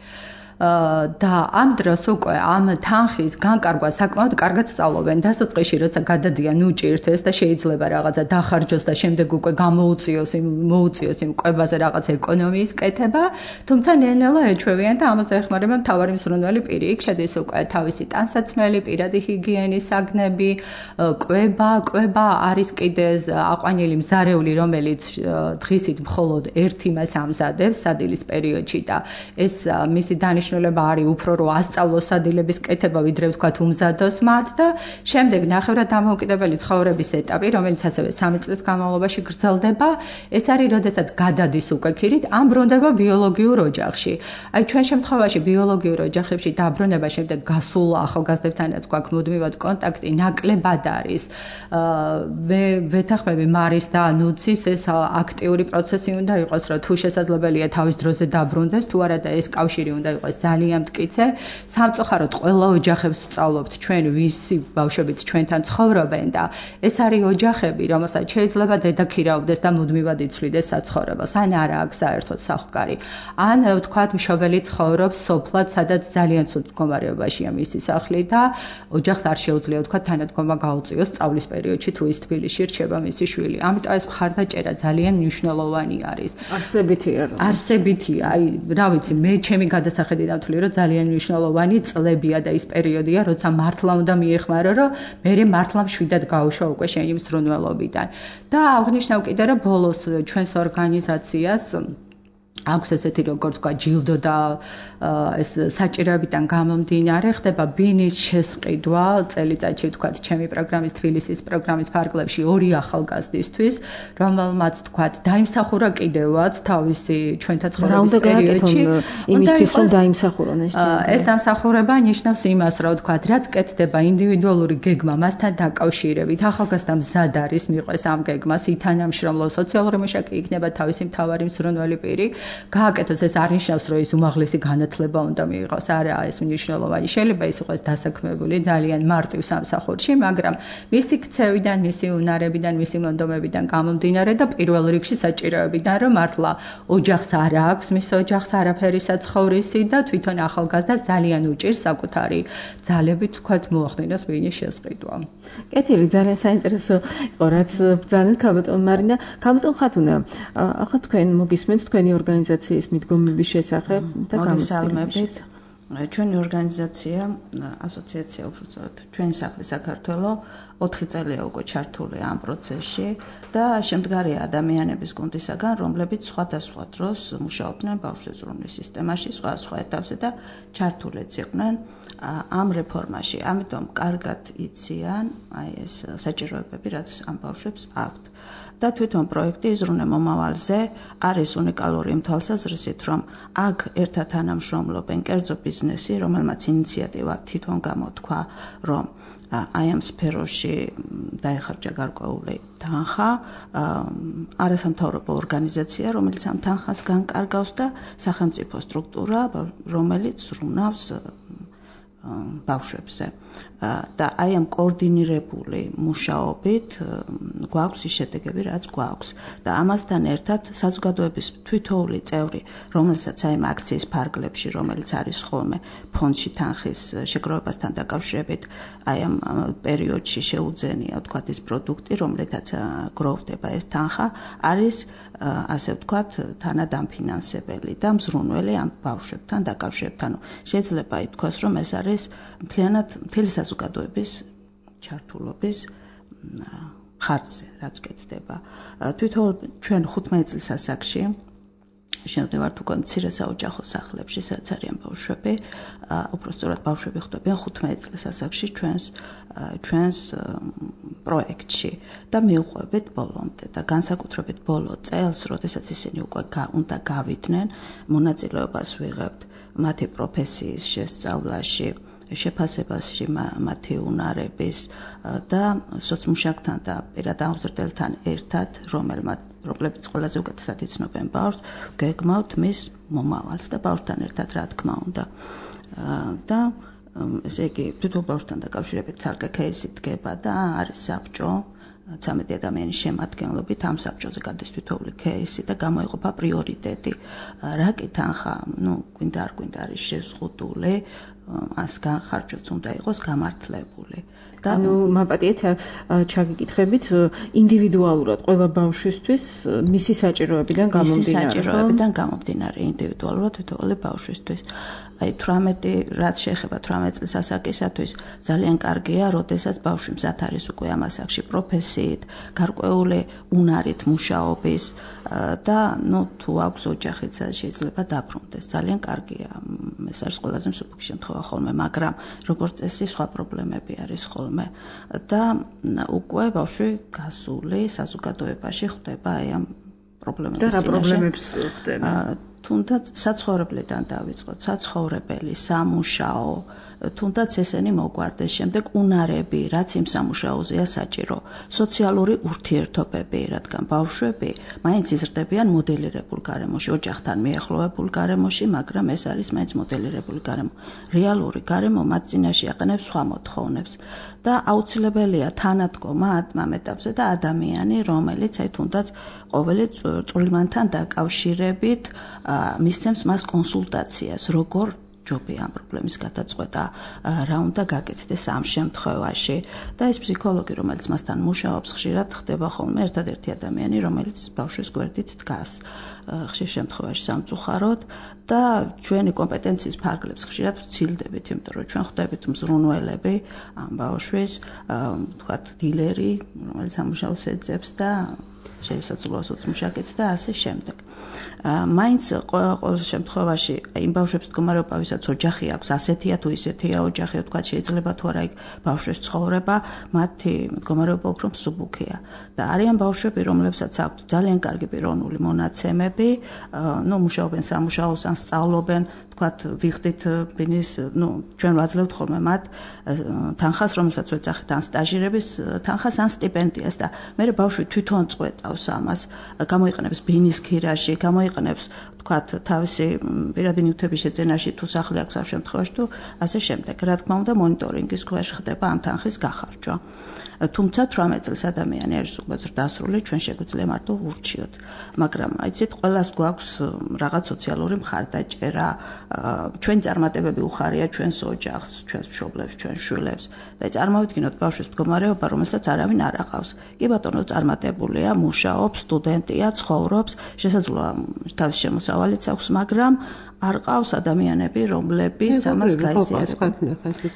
Speaker 5: და ამ დროს უკვე ამ თანხის განკარგვა საკმაოდ კარგად სწავლობენ დასაწყისში, როცა გადადიან უჭირთეს და შეიძლება რაღაცა დახარჯოს და შემდეგ უკვე გამოუწიოს იმ მოუწიოს იმ კვებაზე რაღაც ეკონომიის კეთება, თუმცა ნელ-ნელა ეჩვევიან და ამაზე ეხმარება მთავარი მსურნელი პირი. იქ შედის უკვე თავისი ტანსაცმელი, პირადი ჰიგიენის საგნები, კვება, კვება არის კიდე აყვანილი მზარეული, რომელიც დღისით მხოლოდ ერთ იმას ამზადებს სადილის პერიოდში და ეს მისი დანიშნულება არის უფრო რომ ასწავლოს სადილების კეთება, ვიდრე ვთქვათ უმზადოს მათ და შემდეგ ნახევრად დამოუკიდებელი ცხოვრების ეტაპი, რომელიც ასევე სამი წლის განმავლობაში გრძელდება, ეს არის როდესაც გადადის უკვე ქირით, ამ ბრუნდება ბიოლოგიურ ოჯახში. აი ჩვენ შემთხვევაში ბიოლოგიურ ოჯახებში დაბრუნება შემდეგ გასულ ახალგაზრდებთანაც გვაქვს მუდმივად კონტაქტი, ნაკლებად არის. მე ვეთანხმები მარის და ნუცის ეს აქტიური პროცესი უნდა იყოს, რომ თუ შესაძლებელია თავის დროზე დაბრუნდეს, თუ არა და ეს კავშირი უნდა იყოს ძალიან მტკიცე. სამწუხაროდ ყველა ოჯახებს ვსწავლობთ ჩვენ ვისი ბავშვებიც ჩვენთან ცხოვრობენ და ეს არის ოჯახები, რომელსაც შეიძლება დედაქირავდეს და მუდმივად იცვლიდეს საცხოვრებას. ან არა აქვს საერთოდ სახლკარი. ან ვთქვათ მშობელი ცხოვრობს სოფლად, სადაც ძალიან ცუდ მდგომარეობაშია მისი სახლი და ოჯახს არ შეუძლია ვთქვათ თანადგომა გაუწიოს სწავლის პერიოდში თუ ის თბილისში რჩება მისი შვილი. ამიტომ ეს მხარდაჭერა ძალიან მნიშვნელოვანი არის.
Speaker 2: არსებითია რომ
Speaker 5: არსებითია, აი რა ვიცი, მე ჩემი გადასახედიდან ვთვლი, რომ ძალიან მნიშვნელოვანი წლებია და ის პერიოდია, როცა მართლა უნდა მიეხმარო, რომ მე მართლა მშვიდად გავუშვა უკვე შენი მსრუნველობიდან. და აღნიშნავ კიდე რომ ბოლოს ჩვენს ორგანიზაციას აქვს ესეთი როგორც თქვა ჯილდო და ეს საჭიროებიდან გამომდინარე ხდება ბინის შესყიდვა წელიწადში ვთქვათ ჩემი პროგრამის თბილისის პროგრამის ფარგლებში ორი ახალგაზრდისთვის, რომელმაც ვთქვათ დაიმსახურა კიდევაც თავისი ჩვენთან ცხოვრების პერიოდში
Speaker 2: იმისთვის რომ დაიმსახურონ ეს
Speaker 5: ეს დამსახურება ნიშნავს იმას, რომ ვთქვათ რაც კეთდება ინდივიდუალური გეგმა მასთან დაკავშირებით, ახალგაზრდა მზად არის მიყვეს ამ გეგმას, ითანამშრომლო სოციალური მუშაკი იქნება თავისი მთავარი მსურნელი პირი. გააკეთოს ეს არ ნიშნავს რომ ის უმაღლესი განათლება უნდა მიიღოს, არა, ეს მნიშვნელოვანი. შეიძლება ის იყოს დასაქმებული ძალიან მარტივ სამსახურში, მაგრამ მისი ქცევიდან, მისი უნარებიდან, მისი მონდომებიდან გამომდინარე და პირველ რიგში საჭიროებიდან, რომ მართლა ოჯახს არ აქვს, მის ოჯახს არაფერი საცხოვრისი და თვითონ ახალგაზრდას ძალიან უჭირს საკუთარი ძალებით თქვათ მოახდინოს ბინის შესყიდვა.
Speaker 2: კეთილი, ძალიან საინტერესო იყო რაც ბრძანეთ ქაბატონ მარინა. ქაბატონ ხათუნა, ახლა თქვენ მოგისმენთ თქვენი ორგანიზაციის მიდგომების შესახებ და
Speaker 6: გამოსწორებით. ჩვენი ორგანიზაცია, ასოციაცია უფრო სწორად, ჩვენი სახლი საქართველო ოთხი წელია უკვე ჩართულია ამ პროცესში და შემდგარია ადამიანების გუნდისაგან, რომლებიც სხვადასხვა დროს მუშაობდნენ ბავშვზრუნვის სისტემაში, სხვა სხვა ეტაპზე და ჩართულიც იყვნენ ამ რეფორმაში. ამიტომ კარგად იციან აი ეს საჭიროებები, რაც ამ ბავშვებს აქვთ. და თვითონ პროექტი იზრუნე მომავალზე არის უნიკალური იმ თვალსაზრისით, რომ აქ ერთად თანამშრომლობენ კერძო ბიზნესი, რომელმაც ინიციატივა თვითონ გამოთქვა, რომ აი ამ სფეროში დაეხარჯა გარკვეული თანხა, არასამთავრობო ორგანიზაცია, რომელიც ამ თანხას განკარგავს და სახელმწიფო სტრუქტურა, რომელიც ზრუნავს ბავშვებზე. და აი ამ კოორდინირებული მუშაობით გვაქვს ის შედეგები, რაც გვაქვს. და ამასთან ერთად საზოგადოების თვითოული წევრი, რომელსაც აი ამ აქციის ფარგლებში, რომელიც არის ხოლმე ფონდში თანხის შეგროვებასთან დაკავშირებით, აი ამ პერიოდში შეუძენია, ვთქვათ, ის პროდუქტი, რომლითაც გროვდება ეს თანხა, არის ასე ვთქვათ, თანადამფინანსებელი და მზრუნველი ამ ბავშვებთან დაკავშირებით. ანუ შეიძლება ითქვას, რომ ეს არის მთლიანად მთელი საზოგადოების ჩართულობის ხარჯზე, რაც კეთდება. თვითონ ჩვენ ხუთმეტი წლის ასაკში შევდივართ უკვე მცირე საოჯახო სახლებში, სადაც არიან ბავშვები, უფრო სწორად ბავშვები ხვდებიან ხუთმეტი წლის ასაკში ჩვენს ჩვენს პროექტში და მივყვებით ბოლომდე და განსაკუთრებით ბოლო წელს, როდესაც ისინი უკვე უნდა გავიდნენ, მონაწილეობას ვიღებთ მათი პროფესიის შესწავლაში, შეფასებაში მათი უნარების და სოციმუშაკთან და პირად აღმზრდელთან ერთად, რომლებიც ყველაზე უკეთესად იცნობენ ბავშვს, გეგმავთ მის მომავალს და ბავშვთან ერთად, რა თქმა უნდა. და ესე იგი, თვითონ ბავშვთან დაკავშირებით ცალკე кейსი დგება და არის საბჭო, ცამეტი ადამიანის შემადგენლობით ამ საბჭოზე გადის თითოეული кейსი და გამოიყოფა პრიორიტეტი. რა კი თანხა, ну, გვინდა არ გვინდა არის შეზღუდული, ას განხარჯვაც უნდა იყოს გამართლებული.
Speaker 2: და ნუ მაპატიეთ ჩაგიკითხებით ინდივიდუალურად ყველა ბავშვისთვის მისი საჭიროებიდან გამომდინარე.
Speaker 6: მისი საჭიროებიდან გამომდინარე ინდივიდუალურად თითოეული ბავშვისთვის. აი თვრამეტი რაც შეეხება თვრამეტ წლის ასაკისათვის ძალიან კარგია, როდესაც ბავშვი მზად არის უკვე ამ ასაკში პროფესიით, გარკვეული უნარით მუშაობის და ნუ თუ აქვს ოჯახიც შეიძლება დაბრუნდეს. ძალიან კარგია. ეს არის ყველაზე მსუბუქი შემთხვევა ხოლმე, მაგრამ როგორც წესი სხვა პრობლემები არის ხოლმე და უკვე ბავშვი გასული საზოგადოებაში ხვდება აი ამ პრობლემების
Speaker 2: და რა პრობლემებს ხვდება?
Speaker 6: თუნდაც საცხოვრებლიდან დავიწყოთ, საცხოვრებელი, სამუშაო, თუნდაც ესენი მოგვარდეს, შემდეგ უნარები, რაც იმ სამუშაოზეა საჭირო, სოციალური ურთიერთობები, რადგან ბავშვები მაინც იზრდებიან მოდელირებულ გარემოში, ოჯახთან მიახლოებულ გარემოში, მაგრამ ეს არის მაინც მოდელირებული გარემო. რეალური გარემო მათ წინაშე აყენებს სხვა მოთხოვნებს და აუცილებელია თანადგომა ამ ეტაპზე და ადამიანი, რომელიც აი თუნდაც ყოველი წვრილმანთან დაკავშირებით მისცემს მას კონსულტაციას, როგორ ჯობია ამ პრობლემის გადაწყვეტა, რა უნდა გაკეთდეს ამ შემთხვევაში და ეს ფსიქოლოგი, რომელიც მასთან მუშაობს, ხშირად ხდება ხოლმე ერთადერთი ადამიანი, რომელიც ბავშვის გვერდით დგას, ხშირ შემთხვევაში სამწუხაროდ და ჩვენი კომპეტენციის ფარგლებს ხშირად ვცილდებით, იმიტომ რომ ჩვენ ხვდებით მზრუნველები ამ ბავშვის, ვთქვათ, დილერი, რომელიც სამუშაოს ეძებს და შესაძლოა მუშაკეთს და ასე შემდეგ. მაინც ყოველ შემთხვევაში იმ ბავშვებს მდგომარეობა, ვისაც ოჯახი აქვს, ასეთია თუ ისეთია ოჯახი, თქვა შეიძლება თუ არა იქ ბავშვის ცხოვრება, მათი მდგომარეობა უფრო მსუბუქია. და არიან ბავშვები, რომლებსაც აქვთ ძალიან კარგი პიროვნული მონაცემები, ნუ მუშაობენ სამუშაოს ან სწავლობენ, თქვათ ვიხდით ბინის, ნუ ჩვენ ვაძლევთ ხოლმე მათ თანხას, რომელსაც ვეძახით ან სტაჟირების თანხას ან სტიპენდიას და მე ბავშვი თვითონ წყვეტავს ამას, გამოიყენებს ბინის ქირაში, გამოიყენებს თქვათ თავისი პირადი ნივთების შეძენაში თუ სახლი აქვს ამ შემთხვევაში თუ ასე შემდეგ. რა თქმა უნდა მონიტორინგის ქვეშ ხდება ამ თანხის გახარჯვა. თუმცა თვრამეტ წელს ადამიანი არის უკვე ზრდასრული, ჩვენ შეგვიძლია მარტო ვურჩიოთ. მაგრამ აიცით, ყველას გვაქვს რაღაც სოციალური მხარდაჭერა, ჩვენი წარმატებები უხარია ჩვენს ოჯახს, ჩვენს მშობლებს, ჩვენს შვილებს და წარმოვიდგინოთ ბავშვის მდგომარეობა, რომელსაც არავინ არ aqავს. კი ბატონო, წარმატებულია, მუშაობს, სტუდენტია, ცხოვრობს, შესაძლოა თავის შემოსავალიც აქვს, მაგრამ არ ყავს ადამიანები, რომლებიც ამას გაიზიარებენ.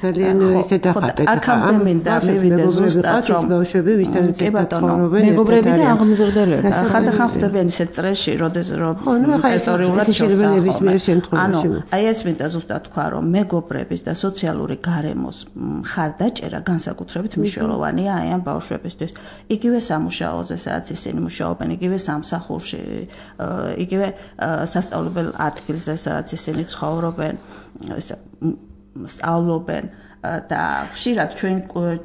Speaker 4: ძალიან ისე დახატეთ.
Speaker 6: აქამდე მინდა მივიდე ზუსტად რომ
Speaker 4: ბავშვები ვისთან ცხოვრობენ,
Speaker 2: მეგობრები და აღმზრდელები.
Speaker 6: ხანდახან ხვდებიან ისეთ წრეში, როდესაც პროფესორულად შევსახობენ. ანუ აი ეს მინდა ზუსტად თქვა, რომ მეგობრების და სოციალური გარემოს მხარდაჭერა განსაკუთრებით მნიშვნელოვანია აი ამ ბავშვებისთვის. იგივე სამუშაოზე, სადაც ისინი მუშაობენ, იგივე სამსახურში, იგივე სასწავლებელ ადგილზე, სადაც ისინი ცხოვრობენ, სწავლობენ და ხშირად ჩვენ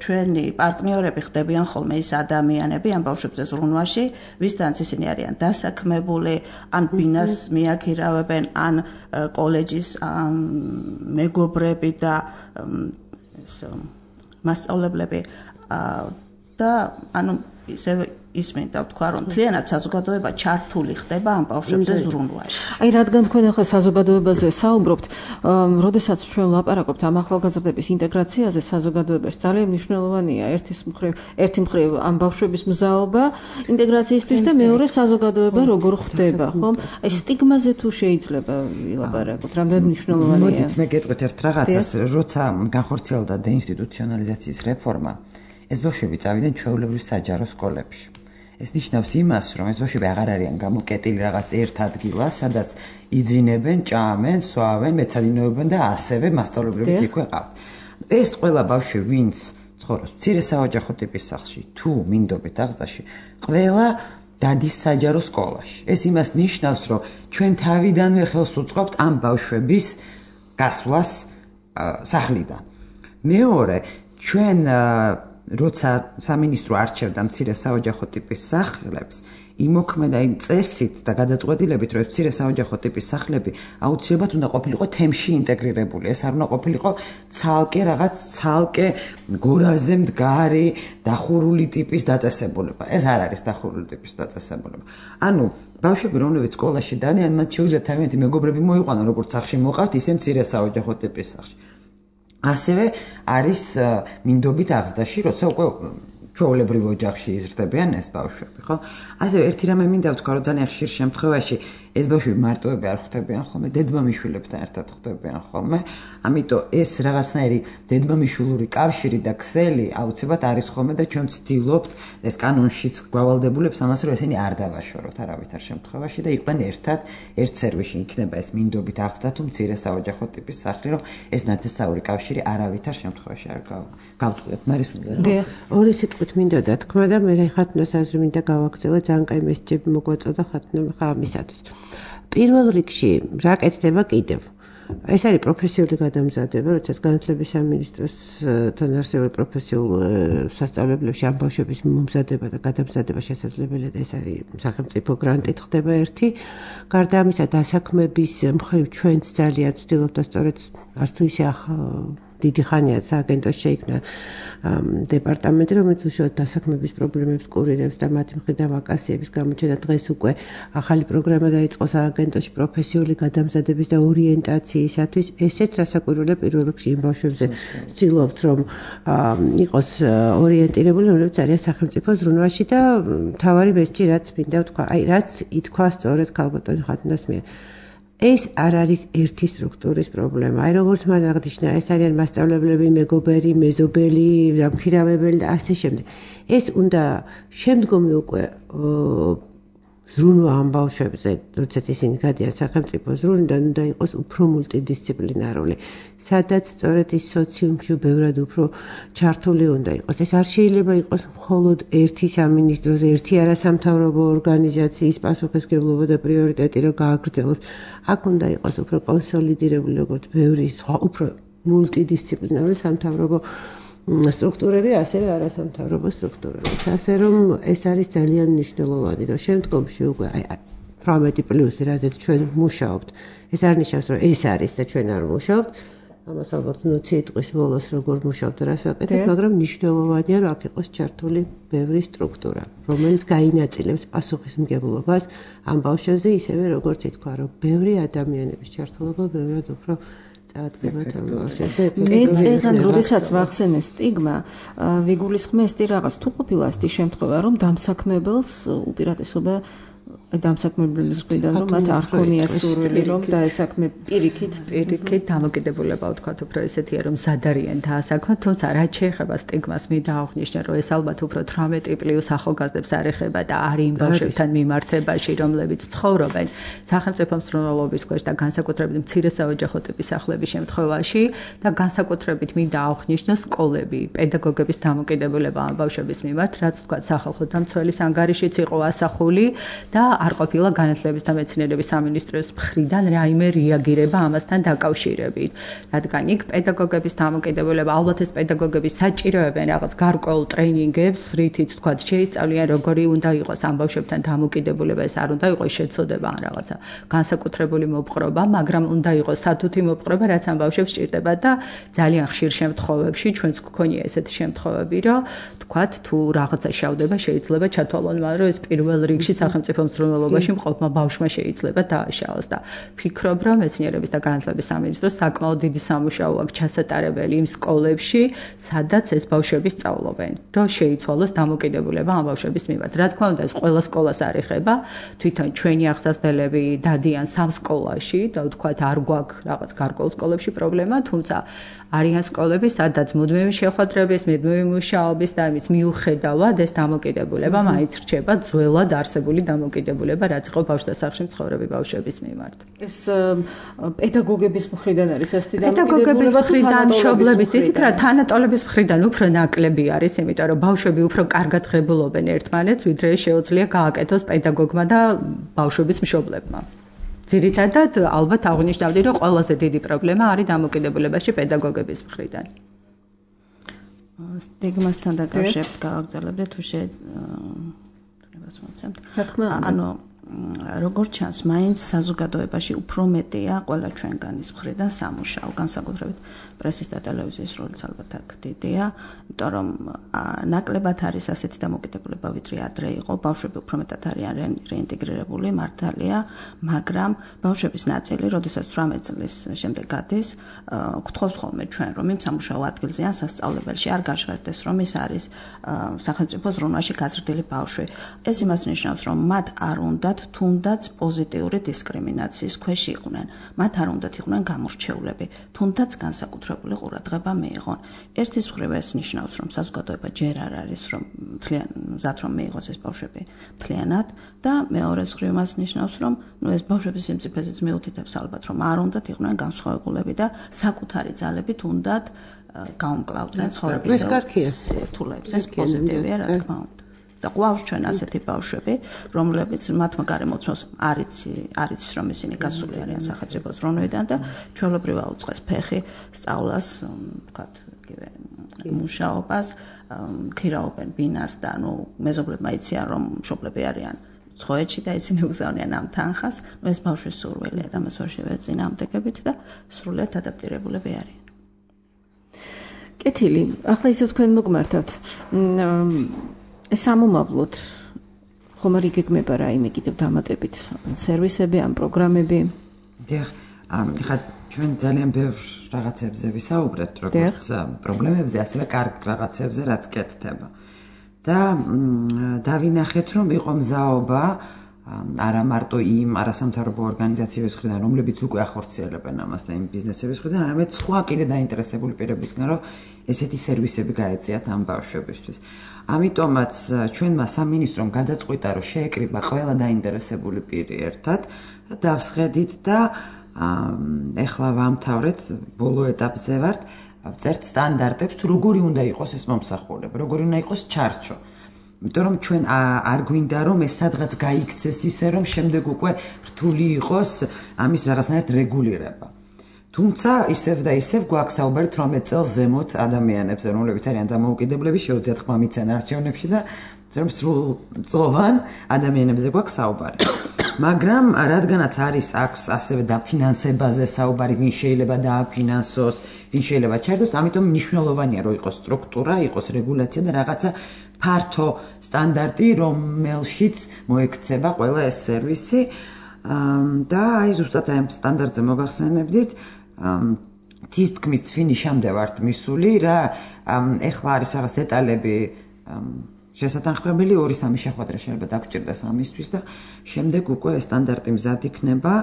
Speaker 6: ჩვენი პარტნიორები ხდებიან ხოლმე ის ადამიანები ამ ბავშვებზე ზრუნვაში, ვისთანაც ისინი არიან დასაქმებული, ან ბინას მიაქირავებენ, ან კოლეჯის მეგობრები და მასწავლებლები და ანუ ისე ის მინდა ვთქვა, რომ მთლიანად საზოგადოება ჩართული ხდება ამ ბავშვებზე ზრუნვაში.
Speaker 2: აი, რადგან თქვენ ახლა საზოგადოებაზე საუბრობთ, როდესაც ჩვენ ვლაპარაკობთ ამ ახალგაზრდების ინტეგრაციაზე საზოგადოებაში, ძალიან მნიშვნელოვანია ერთის მხრივ, ერთი მხრივ ამ ბავშვების მზაობა ინტეგრაციისთვის და მეორე საზოგადოება როგორ ხდება, ხომ? აი, სტიგმაზე თუ შეიძლება ვილაპარაკოთ, რამდენად მნიშვნელოვანია.
Speaker 3: მოდით მე გეტყვით ერთ რაღაცას, როცა განხორციელდა დეინსტიტუციონალიზაციის რეფორმა, ეს ბავშვები წავიდნენ ჩვეულებრივ საჯარო სკოლებში. ეს ნიშნავს იმას, რომ ეს ბავშვები აღარ არიან გამოკეტილი რაღაც ერთ ადგილას, სადაც იძინებენ, ჭამენ, სვავენ, მეცადინეობენ და ასევე მასწავლებლებიც იქვე ყავთ. ეს ყველა ბავშვი, ვინც ცხოვრობს მცირე საოჯახო ტიპის სახლში, თუ მინდობით აღზრდაში, ყველა დადის საჯარო სკოლაში. ეს იმას ნიშნავს, რომ ჩვენ თავიდანვე ხელს უწყობთ ამ ბავშვების გასვლას სახლიდან. მეორე, ჩვენ როცა სამინისტრო არჩევდა მცირე საოჯახო ტიპის სახლებს, იმოქმედა იმ წესით და გადაწყვეტილებით, რომ მცირე საოჯახო ტიპის სახლები აუცილებლად უნდა ყოფილიყო თემში ინტეგრირებული. ეს არ უნდა ყოფილიყო ცალკე რაღაც ცალკე გორაზე მდგარი დახურული ტიპის დაწესებულება. ეს არ არის დახურული ტიპის დაწესებულება. ანუ ბავშვები, რომლებიც სკოლაში დადიან, მათ შეუძლიათ თავიანთი მეგობრები მოიყვანონ, როგორც სახლში მოყავთ, ისე მცირე საოჯახო ტიპის სახლში. ასევე არის მინდობით აღზრდაში, როცა უკვე ჩვეულებრივ ოჯახში იზრდებიან ეს ბავშვები, ხო? ასევე ერთი რამე მინდა ვთქვა, რომ ძალიან ხშირ შემთხვევაში ეს ბავშვები მარტოები არ ხვდებიან ხოლმე, დედმამიშვილებთან ერთად ხვდებიან ხოლმე. ამიტომ ეს რაღაცნაირი დედმამიშვილური კავშირი და ქსელი აუცილებლად არის ხოლმე და ჩვენ ვცდილობთ ეს კანონშიც გვავალდებულებს ამას, რომ ესენი არ დავაშოროთ არავითარ შემთხვევაში და იყვნენ ერთად ერთ სერვისში. იქნება ეს მინდობით აღზრდა თუ მცირე საოჯახო ტიპის სახლი, რომ ეს ნათესაური კავშირი არავითარ შემთხვევაში არ გავწყვეტ. მარის უნდა
Speaker 4: ორი სიტყვით მინდოდა თქმა და მე ხათნას აზრი მინდა გავაგრძელო, ძალიან კაი მესიჯები მოგვაწოდა ხათნა ხამისათვის. პირველ რიგში რა კეთდება კიდევ? ეს არის პროფესიული გადამზადება, როდესაც განათლების სამინისტროსთან არსებულ პროფესიულ სასწავლებლებში ამ ბავშვების მომზადება და გადამზადება შესაძლებელია და ეს არის სახელმწიფო გრანტით ხდება ერთი. გარდა ამისა, დასაქმების მხრივ ჩვენც ძალიან ვცდილობთ და სწორედ არც თუ ისე დიდი ხანია სააგენტოში შეიქმნა დეპარტამენტი, რომელიც უშუალოდ დასაქმების პრობლემებს კურირებს და მათი მხრიდან ვაკანსიების გამოჩენა. დღეს უკვე ახალი პროგრამა დაიწყო სააგენტოში პროფესიული გადამზადების და ორიენტაციისათვის. ესეც რასაკვირველია პირველ რიგში იმ ბავშვებზე ვცდილობთ, რომ იყოს ორიენტირებული, რომლებიც არიან სახელმწიფო ზრუნვაში და მთავარი მესიჯი რაც მინდა ვთქვა, აი რაც ითქვა სწორედ ქალბატონი ხათნას მიერ. ეს არ არის ერთი სტრუქტურის პრობლემა. აი როგორც მან აღნიშნა, ეს არიან მასწავლებლები, მეგობარი, მეზობელი, დამქირავებელი და ასე შემდეგ. ეს უნდა შემდგომი უკვე ზრუნვა ამ ბავშვებზე, როდესაც ისინი გადიან სახელმწიფო ზრუნვიდან, უნდა იყოს უფრო მულტიდისციპლინარული. სადაც სწორედ ის სოციუმში ბევრად უფრო ჩართული უნდა იყოს. ეს არ შეიძლება იყოს მხოლოდ ერთი სამინისტროს, ერთი არასამთავრობო ორგანიზაციის პასუხისმგებლობა და პრიორიტეტი, რომ გააგრძელოს. აქ უნდა იყოს უფრო კონსოლიდირებული, როგორც ბევრი სხვა უფრო მულტიდისციპლინარული სამთავრობო სტრუქტურები, ასევე არასამთავრობო სტრუქტურები. ასე რომ ეს არის ძალიან მნიშვნელოვანი, რომ შემდგომში უკვე აი თვრამეტი პლუსი, რაზეც ჩვენ ვმუშაობთ, ეს არ ნიშნავს, რომ ეს არის და ჩვენ არ ვმუშაობთ. ამას ალბათ ნოცი წლის ბოლოს როგორ მუშაობთ და რას ვაკეთებთ, მაგრამ მნიშვნელოვანია, რომ აქ იყოს ჩართული ბევრი სტრუქტურა, რომელიც გაინაწილებს პასუხისმგებლობას ამ ბავშვებზე, ისევე როგორც ითქვა, რომ ბევრი ადამიანების ჩართულობა ბევრად უფრო წაადგება ამ ბავშვებზე.
Speaker 2: მე წეგან როდესაც ვახსენე სტიგმა, ვიგულისხმესდი რაღაც თუ ყოფილა ასეთი შემთხვევა, რომ დამსაქმებელს უპირატესობა დამსაქმებლის მხრიდან რომ მათ არ ქონიათ სურვილი რომ დაესაქმე პირიქით
Speaker 5: პირიქით დამოკიდებულება ვთქვათ უფრო ესეთია რომ ზადარიან დაასაქმოთ, თუმცა რაც შეეხება სტიგმას მე დააღვნიშნე რომ ეს ალბათ უფრო თვრამეტი პლუს ახალგაზრდებს არ ეხება და არის იმ ბავშვებთან მიმართებაში რომლებიც ცხოვრობენ სახელმწიფო მსრუნველობის ქვეშ და განსაკუთრებით მცირე საოჯახო ტიპის სახლების შემთხვევაში და განსაკუთრებით მინდა აღვნიშნო სკოლები, პედაგოგების დამოკიდებულება ამ ბავშვების მიმართ, რაც ვთქვათ სახალხო დამცველის ანგარიშიც იყო ასახული და არ ყოფილა განათლების და მეცნიერების სამინისტროს მხრიდან რაიმე რეაგირება ამასთან დაკავშირებით. რადგან იქ პედაგოგების დამოკიდებულება, ალბათ ეს პედაგოგები საჭიროებენ რაღაც გარკვეულ ტრეინინგებს, რითიც თქვათ შეისწავლიან როგორი უნდა იყოს ამ ბავშვებთან დამოკიდებულება, ეს არ უნდა იყოს შეცოდება ან რაღაცა განსაკუთრებული მოპყრობა, მაგრამ უნდა იყოს სათუთი მოპყრობა, რაც ამ ბავშვებს სჭირდება და ძალიან ხშირ შემთხვევებში ჩვენც გქონია ესეთი შემთხვევები, რომ თქვათ თუ რაღაცა შავდება, შეიძლება ჩათვალონ, მაგრამ ეს პირველ რიგში სახელმწიფო მსრუნველობაში მყოფმა ბავშვმა შეიძლება დააშაოს და ფიქრობ, რომ მეცნიერების და განათლების სამინისტროს საკმაოდ დიდი სამუშაო აქვს ჩასატარებელი იმ სკოლებში, სადაც ეს ბავშვები სწავლობენ, რომ შეიცვალოს დამოკიდებულება ამ ბავშვების მიმართ. რა თქმა უნდა, ეს ყველა სკოლას არ ეხება, თვითონ ჩვენი აღსასწავლებლები დადიან სამ სკოლაში და ვთქვათ, არ გვაქვს რაღაც გარკვეულ სკოლებში პრობლემა, თუმცა არიან სკოლები, სადაც მუდმივი შეხვედრების, მუდმივი მუშაობის და იმის მიუხედავად ეს დამოკიდებულება მაინც რჩება ძველად არსებული დამოკიდებულება, რაც იყო ბავშვთა სახლში მცხოვრები ბავშვების მიმართ.
Speaker 2: ეს პედაგოგების მხრიდან არის ასეთი
Speaker 5: დამოკიდებულება, პედაგოგების მხრიდან, მშობლების, იცით რა, თანატოლების მხრიდან უფრო ნაკლები არის, იმიტომ რომ ბავშვები უფრო კარგად ღებულობენ ერთმანეთს, ვიდრე შეუძლია გააკეთოს პედაგოგმა და ბავშვების მშობლებმა. ძირითადად ალბათ აღნიშნავდი, რომ ყველაზე დიდი პრობლემა არის დამოკიდებულებაში პედაგოგების მხრიდან.
Speaker 6: სტიგმასთან დაკავშირებით გავაგრძელებდე თუ შეიძლება.
Speaker 2: რა თქმა უნდა.
Speaker 6: ანუ როგორც ჩანს, მაინც საზოგადოებაში უფრო მეტია ყველა ჩვენგანის მხრიდან სამუშაო, განსაკუთრებით პრესის და ტელევიზიის როლიც ალბათ აქ დიდია, იმიტომ რომ ნაკლებად არის ასეთი დამოკიდებულება, ვიდრე ადრე იყო, ბავშვები უფრო მეტად არიან რეინტეგრირებული, მართალია, მაგრამ ბავშვების ნაწილი, როდესაც თვრამეტ წლის შემდეგ გადის, გთხოვს ხოლმე ჩვენ, რომ იმ სამუშაო ადგილზე ან სასწავლებელში არ გაჟღერდეს, რომ ის არის სახელმწიფო ზრუნვაში გაზრდილი ბავშვი. ეს იმას ნიშნავს, რომ მათ არ უნდათ თუნდაც პოზიტიური დისკრიმინაციის ქვეშ იყვნენ. მათ არ უნდათ იყვნენ გამორჩეულები, თუნდაც განსაკუთრებული ყურადღება მიიღონ. ერთის მხრივ ეს ნიშნავს, რომ საზოგადოება ჯერ არ არის, რომ მთლიან მზად რომ მიიღოს ეს ბავშვები მთლიანად და მეორეს მხრივ მას ნიშნავს, რომ ნუ ეს ბავშვების სიმწიფეზეც მიუთითებს ალბათ, რომ არ უნდათ იყვნენ განსხვავებულები და საკუთარი ძალებით უნდათ გაუმკლავდნენ ცხოვრების სირთულეებს. ეს პოზიტივია, რა თქმა უნდა. და ყავს ჩვენ ასეთი ბავშვები, რომლებიც მათმა გარემოცვას არიც არიც რომ ისინი გასული არიან სახელმწიფო ზრუნვიდან და ჩვეულებრივ აუწყეს ფეხი სწავლას, ვთქვათ, იგივე მუშაობას, ქირაობენ ბინას და ნუ მეზობლებმა იციან რომ მშობლები არიან ცხოვეთში და ისინი უგზავნიან ამ თანხას, ნუ ეს ბავშვის სურვილია და მას ვერ შევეწინააღმდეგებით და სრულიად ადაპტირებულები არიან.
Speaker 2: კეთილი, ახლა ისე თქვენ მოგმართავთ. ეს ამომავლოდ ხომ არ იგეგმება რაიმე კიდევ დამატებით სერვისები ან პროგრამები?
Speaker 3: დიახ, ხა ჩვენ ძალიან ბევრ რაღაცებზე ვისაუბრეთ, როგორც პრობლემებზე, ასევე კარგ რაღაცებზე, რაც კეთდება. და დავინახეთ, რომ იყო მზაობა არა მარტო იმ არასამთავრობო ორგანიზაციების მხრიდან, რომლებიც უკვე ახორციელებენ ამას და იმ ბიზნესების მხრიდან, არამედ სხვა კიდე დაინტერესებული პირებისგან, რომ ესეთი სერვისები გაეწიათ ამ ბავშვებისთვის. ამიტომაც ჩვენმა სამინისტრომ გადაწყვიტა, რომ შეეკრიბა ყველა დაინტერესებული პირი ერთად და დავსხედით და ეხლა ვამთავრეთ, ბოლო ეტაპზე ვართ, ვწერთ სტანდარტებს, თუ როგორი უნდა იყოს ეს მომსახურება, როგორი უნდა იყოს ჩარჩო. იმიტომ რომ ჩვენ არ გვინდა რომ ეს სადღაც გაიქცეს ისე რომ შემდეგ უკვე რთული იყოს ამის რაღაცნაირად რეგულირება. თუმცა ისევ და ისევ გვაქვს საუბარი თვრამეტ წელს ზემოთ ადამიანებზე, რომლებიც არიან დამოუკიდებლები, შეუძლიათ ხმა მიცენ არჩევნებში და სრულწლოვან ადამიანებზე გვაქვს საუბარი. მაგრამ რადგანაც არის აქვს ასევე დაფინანსებაზე საუბარი, ვინ შეიძლება დააფინანსოს, ვინ შეიძლება ჩაერთოს, ამიტომ მნიშვნელოვანია რომ იყოს სტრუქტურა, იყოს რეგულაცია და რაღაცა ფართო სტანდარტი, რომელშიც მოექცება ყველა ეს სერვისი და აი ზუსტად ამ სტანდარტზე მოგახსენებდით თის თქმის ფინიშამდე ვართ მისული რა ეხლა არის რაღაც დეტალები შესატანხმებელი ორი სამი შეხვედრა შეიძლება დაგჭირდეს ამისთვის და შემდეგ უკვე სტანდარტი მზად იქნება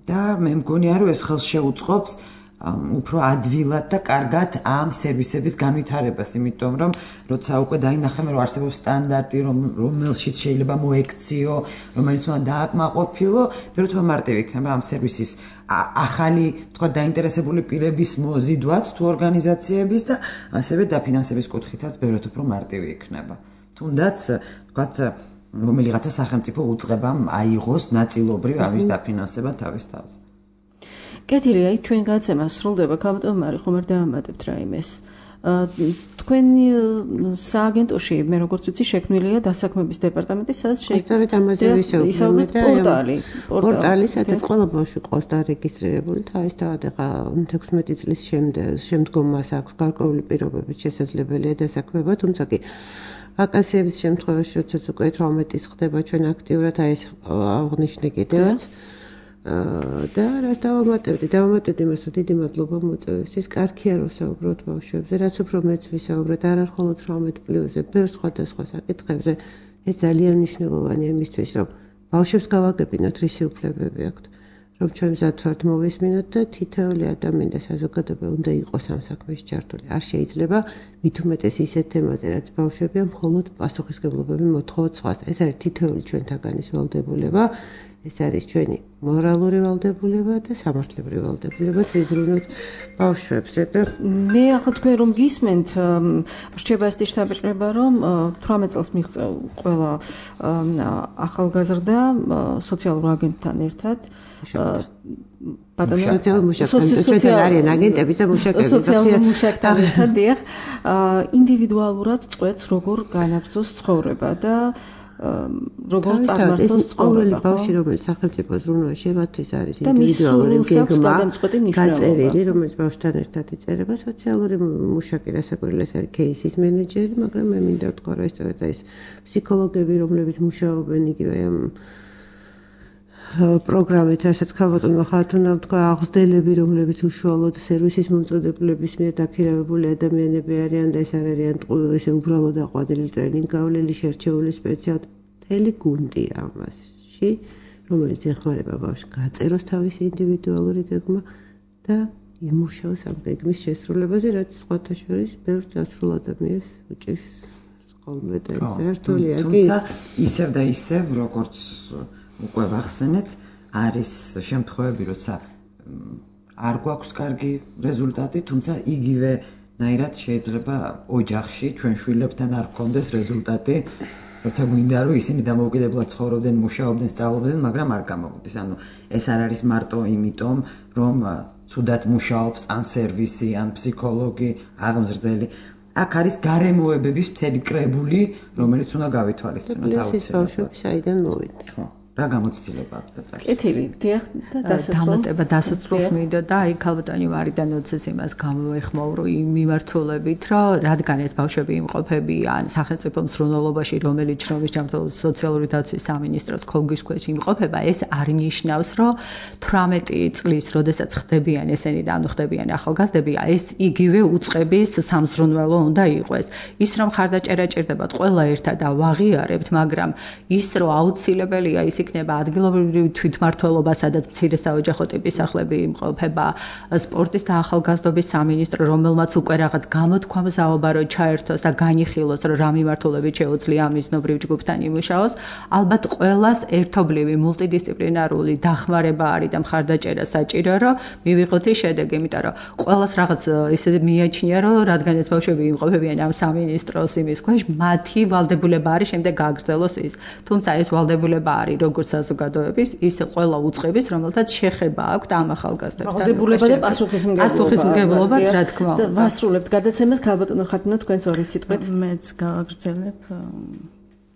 Speaker 3: და მე მგონია რომ ეს ხელს შეუწყობს უფრო ადვილად და კარგად ამ სერვისების განვითარებას, იმიტომ რომ როცა უკვე დაინახαμε რომ არსებობს სტანდარტი, რომელშიც შეიძლება მოექციო, რომელიც უნდა დააკმაყოფილო, უფრო მარტივი იქნება ამ სერვისის ახალი, თქვა დაინტერესებული პირების მოზიდვაც თუ ორგანიზაციების და ასევე დაფინანსების კუთხითაც ბევრად უფრო მარტივი იქნება. თუნდაც, თქვა რომელიღაცა სახელმწიფო უწყებამ აიღოს ნაწილობრივ ამის დაფინანსება თავის თავზე.
Speaker 2: კეთილი, აი ჩვენ გადაცემა სრულდება, ქალბატონ მარი, ხომ არ დაამატებთ რაიმეს. თქვენი სააგენტოში, მე როგორც ვიცი, შექმნილია დასაქმების დეპარტამენტი, სადაც
Speaker 4: შეიძლება ამაზე ვისაუბროთ და
Speaker 2: პორტალი,
Speaker 4: პორტალი, სადაც ყველა ბავშვი ყავს დარეგისტრირებული, თავისთავად ახლა თექვსმეტი წლის შემდგომ მას აქვს გარკვეული პირობებით შესაძლებელია დასაქმება, თუმცა კი ვაკანსიების შემთხვევაში, როდესაც უკვე თვრამეტის ხდება ჩვენ აქტიურად აი ეს აღნიშნე კიდევაც და რას დავამატებდი? დავამატებდი იმას, რომ დიდი მადლობა მოწვევისთვის. კარგია რომ საუბრობთ ბავშვებზე, რაც უფრო მეც ვისაუბროთ, არ არ მხოლოდ თვრამეტ პლუსზე, ბევრ სხვადასხვა საკითხებზე. ეს ძალიან მნიშვნელოვანია იმისთვის, რომ ბავშვებს გავაგებინოთ რისი უფლებები აქვთ, რომ ჩვენ მზად ვართ მოვისმინოთ და თითოეული ადამიანი და საზოგადოება უნდა იყოს ამ საქმეში ჩართული. არ შეიძლება მით უმეტეს ისეთ თემაზე, რაც ბავშვებია მხოლოდ პასუხისმგებლობები მოთხოვოთ სხვას. ეს არის თითოეული ჩვენთაგანის ვალდებულება. ეს არის ჩვენი მორალური ვალდებულება და სამართლებრივი ვალდებულება ზრუნოთ ბავშვებზე და
Speaker 2: მე ახლა თქვენ რომ გისმენთ რჩება ეს შტაბ-ჭრება რომ თვრამეტ წელს მიღწევა ყველა ახალგაზრდა სოციალურ აგენტთან ერთად
Speaker 4: ბატონო სოციალურ არიან აგენტები და მუშაკები
Speaker 2: სოციალურ მუშაკთან ერთად დიახ ინდივიდუალურად წყვეტს როგორ განაგრძოს ცხოვრება და როგორ წარმართოს ცხოვრება
Speaker 4: ბავშვი რომელიც სახელმწიფო ზრუნვაში მათთვის არის ინდივიდუალური გეგმა გაწერილი რომელიც ბავშვთან ერთად იწერება სოციალური მუშაკი რასაკვირველია არის кейსის მენეჯერი მაგრამ მე მინდა ვთქვა რომ ეს სწორედ ეს ფსიქოლოგები რომლებიც მუშაობენ იგივე ამ პროგრამით, რასაც ქალბატონმა ხათუნა თქვა, აღზრდელები, რომლებიც უშუალოდ სერვისის მომწოდებლების მიერ დაქირავებული ადამიანები არიან და ეს არ არიან ესე უბრალოდ აყვანილი ტრენინგ გავლილი შერჩეული სპეციალისტები გუნდია ამაში, რომელიც ეხმარება ბავშვს გაწეროს თავისი ინდივიდუალური გეგმა და იმუშაოს ამ გეგმის შესრულებაზე, რაც სხვათა შორის ბევრ დასრულ ადამიანს უჭირს ხოლმე და საერთოა.
Speaker 3: თუმცა ისევ და ისევ როგორც უკვე ვახსენეთ, არის შემთხვევები, როცა არ გვაქვს კარგი რეზულტატი, თუმცა იგივე ნაირად შეიძლება ოჯახში ჩვენ შვილებთან არ გქონდეს რეზულტატი, როცა გვინდა რომ ისინი დამოუკიდებლად ცხოვრობდნენ, მუშაობდნენ, სწავლობდნენ, მაგრამ არ გამოვიდეს. ანუ ეს არ არის მარტო იმიტომ, რომ ცუდად მუშაობს ან სერვისი, ან ფსიქოლოგი, აღმზრდელი. აქ არის გარემოებების მთელი კრებული, რომელიც უნდა გავითვალისწინოთ
Speaker 4: აუცილებლად. საიდან მოვიდა?
Speaker 3: ხო. რა გამოცდილება აქვს და წარს.
Speaker 2: კეთილი, დიახ, და დასასრულს.
Speaker 5: დამატება დასასრულს მინდა და აი ქალბატონი მარიდან უცეს იმას გამოეხმოვრო იმ მიმართულებით, რომ რადგან ეს ბავშვები იმყოფებიან სახელმწიფო მსრუნველობაში, რომელიც შრომის ჯანმრთელობის სოციალური დაცვის სამინისტროს ხოლგის ქვეშ იმყოფება, ეს არ ნიშნავს, რომ თვრამეტი წლის, როდესაც ხდებიან ესენი და ანუ ხდებიან ახალგაზრდები, ეს იგივე უწყების სამზრუნველო უნდა იყოს. ის რომ ხარდაჭერა ჭირდებათ ყველა ერთად და ვაღიარებთ, მაგრამ ის რომ აუცილებელია ის იქნება ადგილობრივი თვითმმართველობა, სადაც მცირე საოჯახო ტიპის სახლები იმყოფება, სპორტის და ახალგაზრდობის სამინისტრო, რომელმაც უკვე რაღაც გამოთქვამზაობა რო ჩაერთოს და განიხილოს, რომ რა მიმართულებით შეუძლია ამიზნობრივ ჯგუფთან იმუშაოს, ალბათ ყველას ერთობლივი მულტიდისციპლინარული დახმარება არის და მხარდაჭერა საჭირო, რომ მივიღოთ ის შედეგი, იმიტომ რომ ყველას რაღაც ისე მიაჩნია, რომ რადგან ეს ბავშვები იმყოფებიან ამ სამინისტროს იმის ქვეშ, მათი ვალდებულება არის შემდეგ გააგრძელოს ის. თუმცა ეს ვალდებულება არის როგორც საზოგადოების, ისე ყველა უწყების, რომელთაც შეხება აქვს ამ ახალგაზრდებთან.
Speaker 2: ვალდებულება და პასუხისმგებლობა.
Speaker 5: პასუხისმგებლობაც, რა თქმა უნდა.
Speaker 2: ვასრულებთ გადაცემას ქალბატონო ხათუნა თქვენს ორი სიტყვით.
Speaker 6: მეც გავაგრძელებ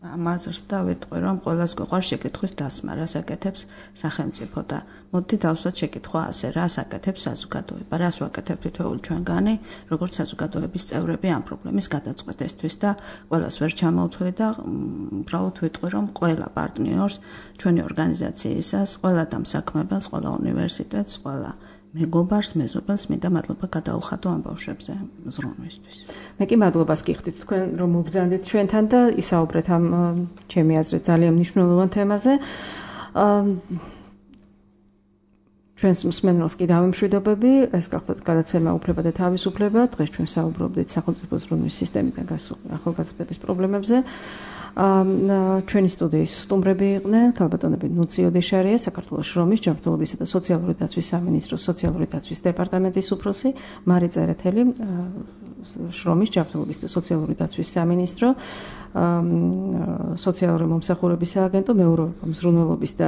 Speaker 6: ამაზრს და ვიტყვი, რომ ყველას გვიყვარს შეკითხვის დასმა, რას აკეთებს სახელმწიფო და მოდით დავსვათ შეკითხვა ასე, რას აკეთებს საზოგადოება, რას ვაკეთებთ თითოეული ჩვენგანი, როგორც საზოგადოების წევრები ამ პრობლემის გადაწყვეტისთვის და ყველას ვერ ჩამოვთვლი და უბრალოდ ვიტყვი, რომ ყველა პარტნიორს, ჩვენი ორგანიზაციისას, ყველა დამსაქმებელს, ყველა უნივერსიტეტს, ყველა მეგობარს, მეზობელს მინდა მადლობა გადაუხადო ამ ბავშვებზე ზრუნვისთვის.
Speaker 2: მე კი მადლობას გიხდით თქვენ რომ მობრძანდით ჩვენთან და ისაუბრეთ ამ ჩემი აზრით ძალიან მნიშვნელოვან თემაზე. ჩვენს მსმენელს კი დავემშვიდობები, ეს გახლდათ გადაცემა უფლება და თავისუფლება. დღეს ჩვენ საუბრობდით სახელმწიფო ზრუნვის სისტემიდან გასულ ახალგაზრდების პრობლემებზე. ჩვენი სტუდიის სტუმრები იყვნენ ქალბატონები ნუცი ოდეშარია, საქართველოს შრომის, ჯანმრთელობისა და სოციალური დაცვის სამინისტროს სოციალური დაცვის დეპარტამენტის უფროსი, მარი წერეთელი, შრომის, ჯანმრთელობის და სოციალური დაცვის სამინისტრო, სოციალური მომსახურების სააგენტო, მეურვეობა, მზრუნველობის და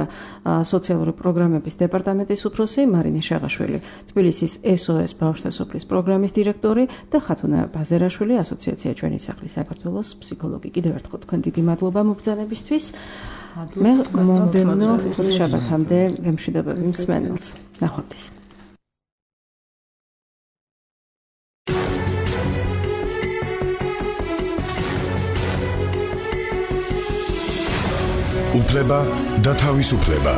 Speaker 2: სოციალური პროგრამების დეპარტამენტის უფროსი, მარინე შაღაშვილი, თბილისის ეს ო ეს ბავშვთა სოფლის პროგრამის დირექტორი და ხათუნა ბაზერაშვილი, ასოციაცია ჩვენი სახლის საქართველოს ფსიქოლოგი. კიდევ ერთხელ თქვენ დიდი მადლობა მობრძანებისთვის. მე მომდევნო შაბათამდე ვემშვიდობები მსმენელს. ნახვამდის.
Speaker 1: უფლება და თავისუფლება.